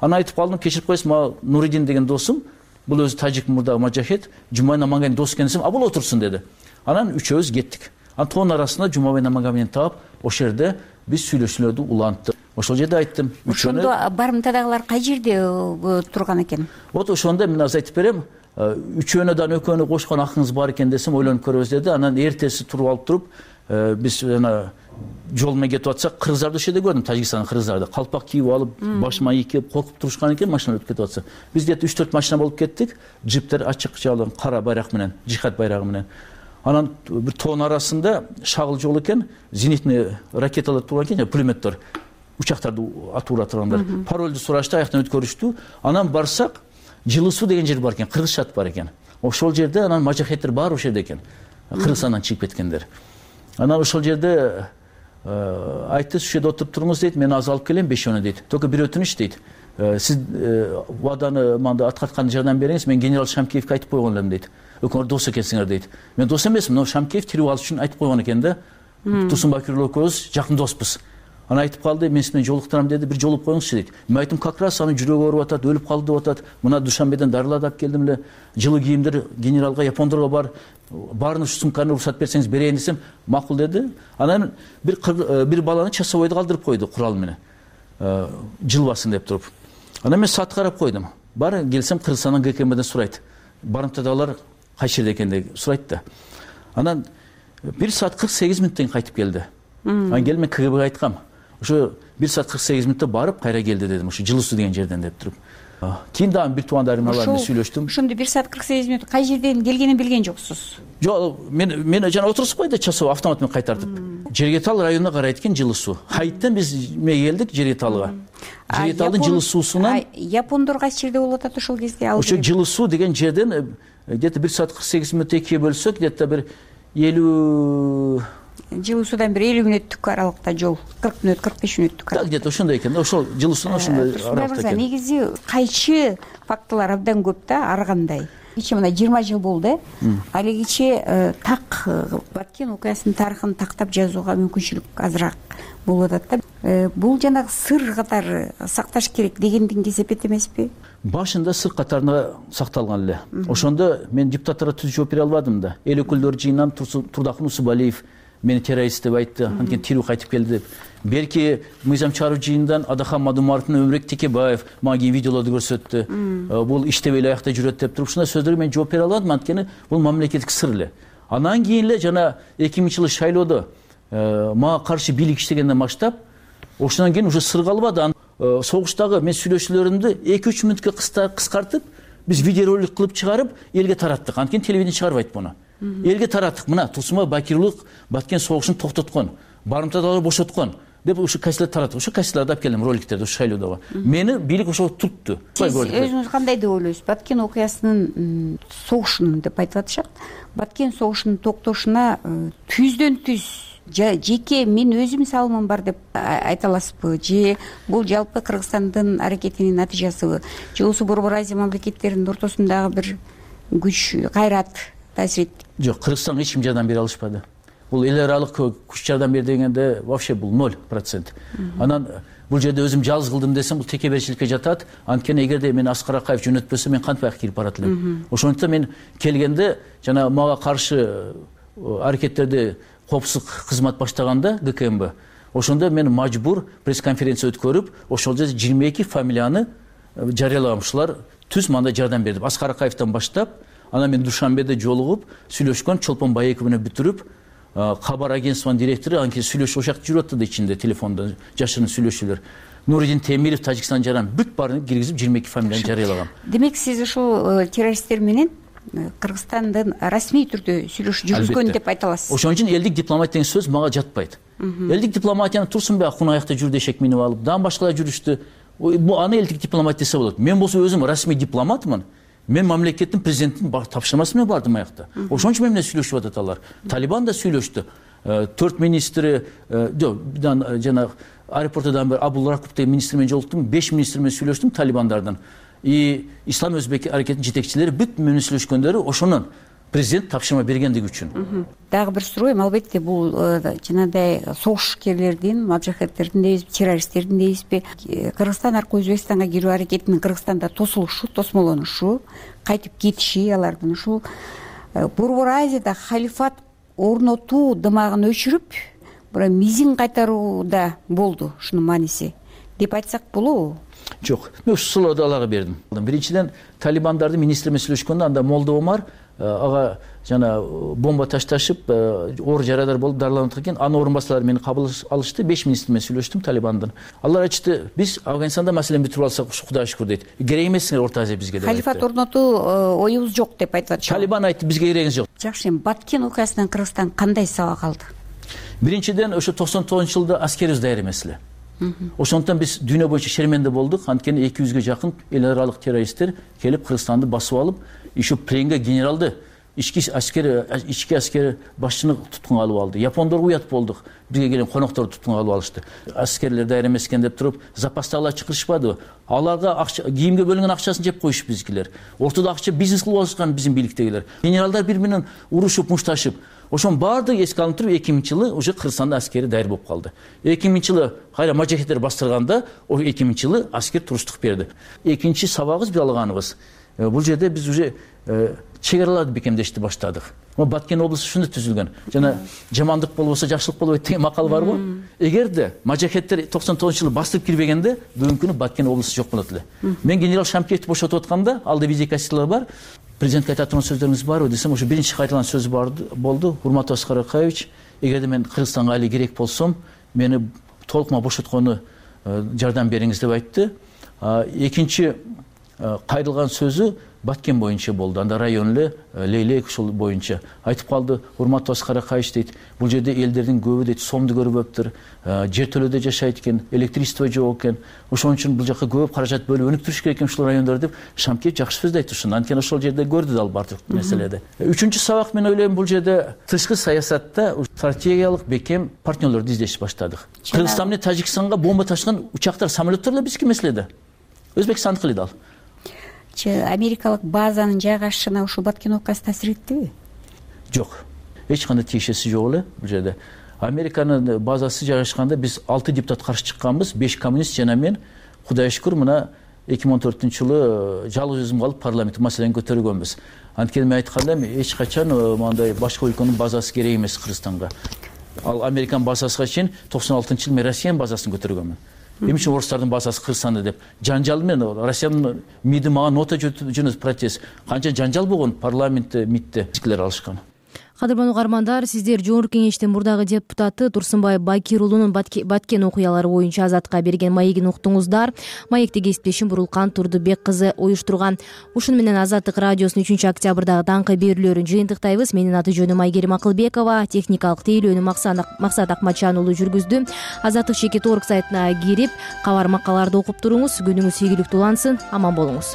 Анан айтып калдым, кечирип коесуз, мага Нуридин деген досум, бул өзү тажик мурда мажахет, Жумабай Намангани дос экен десем, а бул отурсун деди. Анан үчөөбүз кеттик. Антон арасында Жумабай Намангани менен таап, ошол жерде биз сүйлөшүүлөрдү уланттык. Ошол жерде айттым. Ошондо барымтадагылар кай жерде турган экен? Вот ошондо мен азыр айтып берем. Үчөөнөдөн экөөнү кошкон акыңыз бар экен десем, ойлонуп көрөбүз деди. Анан эртеси туруп алып туруп, биз жана жол менен кетип атсак, кыргыздарды ошол жерде көрдүм, Тажикстандын кыргыздарды. Калпак кийип алып, баш майы кийип, коркуп турушкан экен, машина өтүп кетип атса. Биз где-то 3-4 машина болуп кеттик. Джиптер ачык жалын, кара байрак менен, жихад байрагы менен. Анан бир тоон арасында шагыл жол экен, зенитный ракеталар турган экен, пулеметтер, учактарды атуура тургандар. Паролду сурашты, аяктан өткөрүштү. Анан барсак, Жылы суу деген жер бар экен, кыргызчат бар экен. Ошол жерде анан мажахеттер бар ошол жерде экен. Кыргызстандан чыгып кеткендер. Анан ошол жерде айтты, ушул жерде отуруп туруңуз дейт, мен азыр алып келем 5 дейт. Только бир өтүнүч дейт. Сиз ваданы мында аткарткан жардам бериңиз, мен генерал Шамкеевке айтып койгон элем дейт. Өкмөр дос экенсиңер дейт. Мен дос эмесмин, но Шамкеев тирип алыш үчүн айтып койгон экен да. Турсунбай Бакир экөөбүз жакын доспуз. Ана айтып калды, мен сиз менен жолуктурам деди, бир жолуп коюңузчу дейт. Мен айттым, как раз анын жүрөгү ооруп атат, өлүп калды деп атат. Мына Душанбеден дарылап алып келдим эле. Жылы кийимдер генералга, япондорго бар. Баарын ушу сумканы уруксат берсеңиз берейин десем, макул деди. Анан бир баланы часовойдо калтырып койду курал менен. Жылбасын деп туруп. Анан мен саат карап койдум. Бар келсем Кыргызстандан ГКМден сурайт. Барымтадагылар кайсы жерде экен деп сурайт да. Анан 1 саат 48 мүнөттөн кайтып келди. Анан келип мен КГБге айткам. ошо 1 саат 48 мүнөттө барып кайра келди дедим, ошо Жылы суу деген жерден деп туруп. Кийин дагы бир туугандарым бар менен сүйлөштүм. Ошондо 1 саат 48 мүнөт кай жерден келгенин билген жоксуз? Жок, мен жана отурушпайда часов автомат менен кайтартып. Жергетал районуна карайт экен Жылы суу. Хайттан биз эмеге келдик Жергеталга. Жергеталдын Жылы суусунан япондор кайсы жерде болуп атат ошол кезде? Ошо Жылы суу деген жерден где-то 1 саат 48 мүнөт экиге бөлсөк, где-то бир 50 Жылы суудан бир 50 мүнөттүк аралыкта жол, 40 мүнөт, 45 мүнөттүк. Так, где-то ошондой экен. Ошол Жылы суунан ошондой аралыкта экен. Негизи кайчы фактылар абдан көп да, ар кандай. Кичи мына 20 жыл болду. Ал кичи так Баткен окуясынын тарыхын тактап жазууга мүмкүнчүлүк азыраак болуп атат да. Бул жанагы сыр катары сакташ керек дегендин кесепет эмеспи? Башында сыр катарында сакталган эле. Ошондо мен депутаттарга түз жооп бере албадым да. Эл өкүлдөр жыйынынан Турдакын Усубалиев мени террорист деп айтты, анткени тирүү кайтып келди деп. Белки мыйзам чыгаруу жыйынынан Адахан Мадумаровдун Өмүрбек Текебаев мага кийин видеолорду көрсөттү. Бул иштебей эле аякта жүрөт деп туруп, ушундай сөздөргө мен жооп бере албадым, анткени бул мамлекеттик сыр эле. Андан кийин эле жана 2000-жылы шайлоодо мага каршы бийлик иштегенден баштап, ошондон кийин уже сыр калбады. Согуштагы мен сүйлөшүүлөрүмдү 2-3 мүнөткө кыскартып, биз видеоролик кылып чыгарып, элге тараттык. Анткени телевидение чыгарбайт муну. Элге тараттык. Мына Турсунбай Бакирулук Баткен согушун токтоткон, барымтадагы бошоткон деп ушу кассаларды тараттык. Ошо кассаларды алып келдим роликтерди ушу шайлоодогу. Мени бийлик ошо тутту. Сиз өзүңүз кандай деп ойлойсуз? Баткен окуясынын согушунун деп айтып атышат. Баткен согушунун токтошуна түздөн түз жеке мен өзүм салымым бар деп айта аласызбы? Же бул жалпы Кыргызстандын аракетинин натыйжасыбы? Же осы Борбор Азия мамлекеттеринин ортосундагы бир күч, кайрат таасир этти? Жок, Кыргызстанга эч ким жардам бере алышпады. Бул эл аралык күч жардам бер дегенде вообще бул 0%. Анан бул жерде өзүм жалгыз кылдым десем, бул текеберчиликке жатат. Анткени эгерде мен Аскар Акаев жөнөтпөсө, мен кантип аяк кирип барат элем. Ошондуктан мен келгенде жана мага каршы аракеттерди коопсуздук кызмат баштаганда ГКМБ, ошондо мен мажбур пресс-конференция өткөрүп, ошол жерде 22 фамилияны жарыялагам. Ушулар түз мандай жардам берди. Аскар Акаевден баштап, анан мен Душанбеде жолугуп, сүйлөшкөн Чолпон Байеков менен бүтүрүп, кабар агентствонун директору анткени сүйлөшүп ошол жакта жүрүп атты ичинде телефондо жашырын сүйлөшүүлөр. Нуридин Темиров Тажикстан жаран бүт баарын киргизип 22 фамилияны жарыялагам. Демек сиз ушул террористтер менен Кыргызстандын расмий түрдө сүйлөшүү жүргүзгөн деп айта аласыз. Ошон үчүн элдик дипломатия деген сөз мага жатпайт. Элдик дипломатияны Турсунбай Акун аякта жүрдү, эшек минип алып, дагы башкалар жүрүштү. Аны элдик дипломатия десе болот. Мен болсо өзүм расмий дипломатмын. Мен мамлекеттин президенттин тапшырмасы менен бардым аякта. Ошон үчүн мен сүйлөшүп атат алар. Талибан да сүйлөштү. 4 министри, жана аэропортудан бери Абул Ракуп деген министр менен жолуктум, 5 министр менен сүйлөштүм Талибандардан. Ислам өзбек аракетинин жетекчилери бүт менен сүйлөшкөндөрү ошонун президент тапшырма бергендиги үчүн. Дагы бир суроо, албетте бул жанагындай согушкерлердин, маджахеттердин дейбизби, террористтердин дейбизби, Кыргызстан аркылуу Өзбекстанга кирүү аракетинин Кыргызстанда тосулушу, тосмолонушу, кайтып кетиши алардын ушул Борбор Азияда халифат орнотуу дымагын өчүрүп, бирок мизин кайтарууда болду ушунун мааниси деп айтсак болобу? Жок, мен ушул суроодо алага бердим. Биринчиден Талибандардын министри менен сүйлөшкөндө анда Молда Омар ага жана бомба ташташып, оор жарадар болуп дарыланып кеткен. Анын орун басарлары мени кабыл алышты. 5 министр менен сүйлөштүм Талибандын. Алар айтышты, биз Афганистанда маселени бүтүрүп алсак, Кудайга шүкүр дейт. Керек эмессиңер Орто Азия бизге деп. Халифат орнотуу оюбуз жок деп айтып атышат. Талибан айтты, бизге керегиңиз жок. Жакшы, Баткен окуясынан Кыргызстан кандай сабак алды? Биринчиден, ошо 99-жылда аскерибиз даяр эмес эле. Ошондуктан биз дүйнө боюнча шерменде болдук. Анткени 200-гө жакын эл аралык террористтер келип Кыргызстанды басып алып, ишу пленге генералды, ички аскер башчыны туткунга алып алды. Япондор уят болдук. Бизге келген конокторду туткунга алып алышты. Аскерлер даяр эмес экен деп туруп, запастагылар чакырышпады. Аларга кийимге бөлүнгөн акчасын жеп коюшуп бизгилер. Ортодо акча бизнес кылып алышкан биздин бийликтегилер. Генералдар бири менен урушуп, мушташып. Ошон баардыгы эске алынып туруп 2000-жылы уже Кыргызстанда аскери даяр болуп калды. 2000-жылы кайра маджахеттер бастырганда, 2000-жылы аскер туруштук берди. Экинчи сабагыбыз биз алганыбыз. Бул жерде биз уже чек араларды бекемдешти баштадык. Баткен облусу ушундай түзүлгөн. Жана жамандык болбосо жакшылык болбойт деген макал барбы? Эгерде маджахеттер 99-жылы бастырып кирбегенде, бүгүнкү күнү Баткен облусу жок болот эле. Мен генерал Шамкеевди бошотуп атканда, алда видеокассеталар бар. Президентке айта турган сөздөрүңүз барбы десем, ошо биринчи кайталган сөз болду. Урматтуу Аскар Акаевич, эгерде мен Кыргызстанга али керек болсом, мени толук мага бошоткону жардам бериңиз деп айтты. Экинчи кайрылган сөзү Баткен боюнча болду. Анда район эле Лейлек ушул боюнча айтып калды. Урматтуу Аскар Акаевич дейт, бул жерде элдердин көбү дейт сомду көрбөптүр, жер төлөдө жашайт экен, электричество жок экен. Ошон үчүн бул жака көп каражат бөлүп өнүктүрүш керек экен ушул райондорду деп Шамкеев жакшы сөз айтты ушуну. Анткени ошол жерде көрдү дал бардык маселеде. Үчүнчү сабак мен ойлойм, бул жерде тышкы саясатта стратегиялык бекем партнерлорду издешти баштадык. Кыргызстан менен Тажикстанга бомба ташыган учактар, самолеттер эле бизки маселеде. Өзбекстандыкы эле дал. Америкалык базанын жайгашышына ушул Баткен окуясы таасир эттиби? Жок. Эч кандай тиешеси жок эле бул жерде. Американын базасы жайгашканда биз 6 депутат каршы чыкканбыз, 5 коммунист жана мен. Кудайга шүкүр, мына 2014-жылы жалгыз өзүм калып парламент маселени көтөргөнбүз. Анткени мен айтканда эч качан мындай башка өлкөнүн базасы керек эмес Кыргызстанга. Ал Американ базасына чейин 96-жылы мен Россиянын базасын көтөргөнмүн. Эмне үчүн орустардын базасы Кыргызстанда деп жанжал менен Россиянын МИДи мага нота жөнөтүп протест. Канча жанжал болгон парламентте, МИДте фикирлер алышкан. Кадырман угармандар, сиздер Жогорку Кеңештин мурдагы депутаты Турсунбай Бакир уулунун Баткен окуялары боюнча Азатка берген маегин уктуңуздар. Маекти кесиптешим Бурулкан Турдубек кызы уюштурган. Ушуну менен Азаттык радиосунун 3-октябрдагы даңкы берүүлөрүн жыйынтыктайбыз. Менин аты жөнүм Айгерим Акылбекова, техникалык тейлөөнү Максат Акматжан уулу жүргүздү. Азаттык Чекит орг сайтына кирип, кабар макалаларды окуп туруңуз. Күнүңүз ийгиликтүү улансын. Аман болуңуз.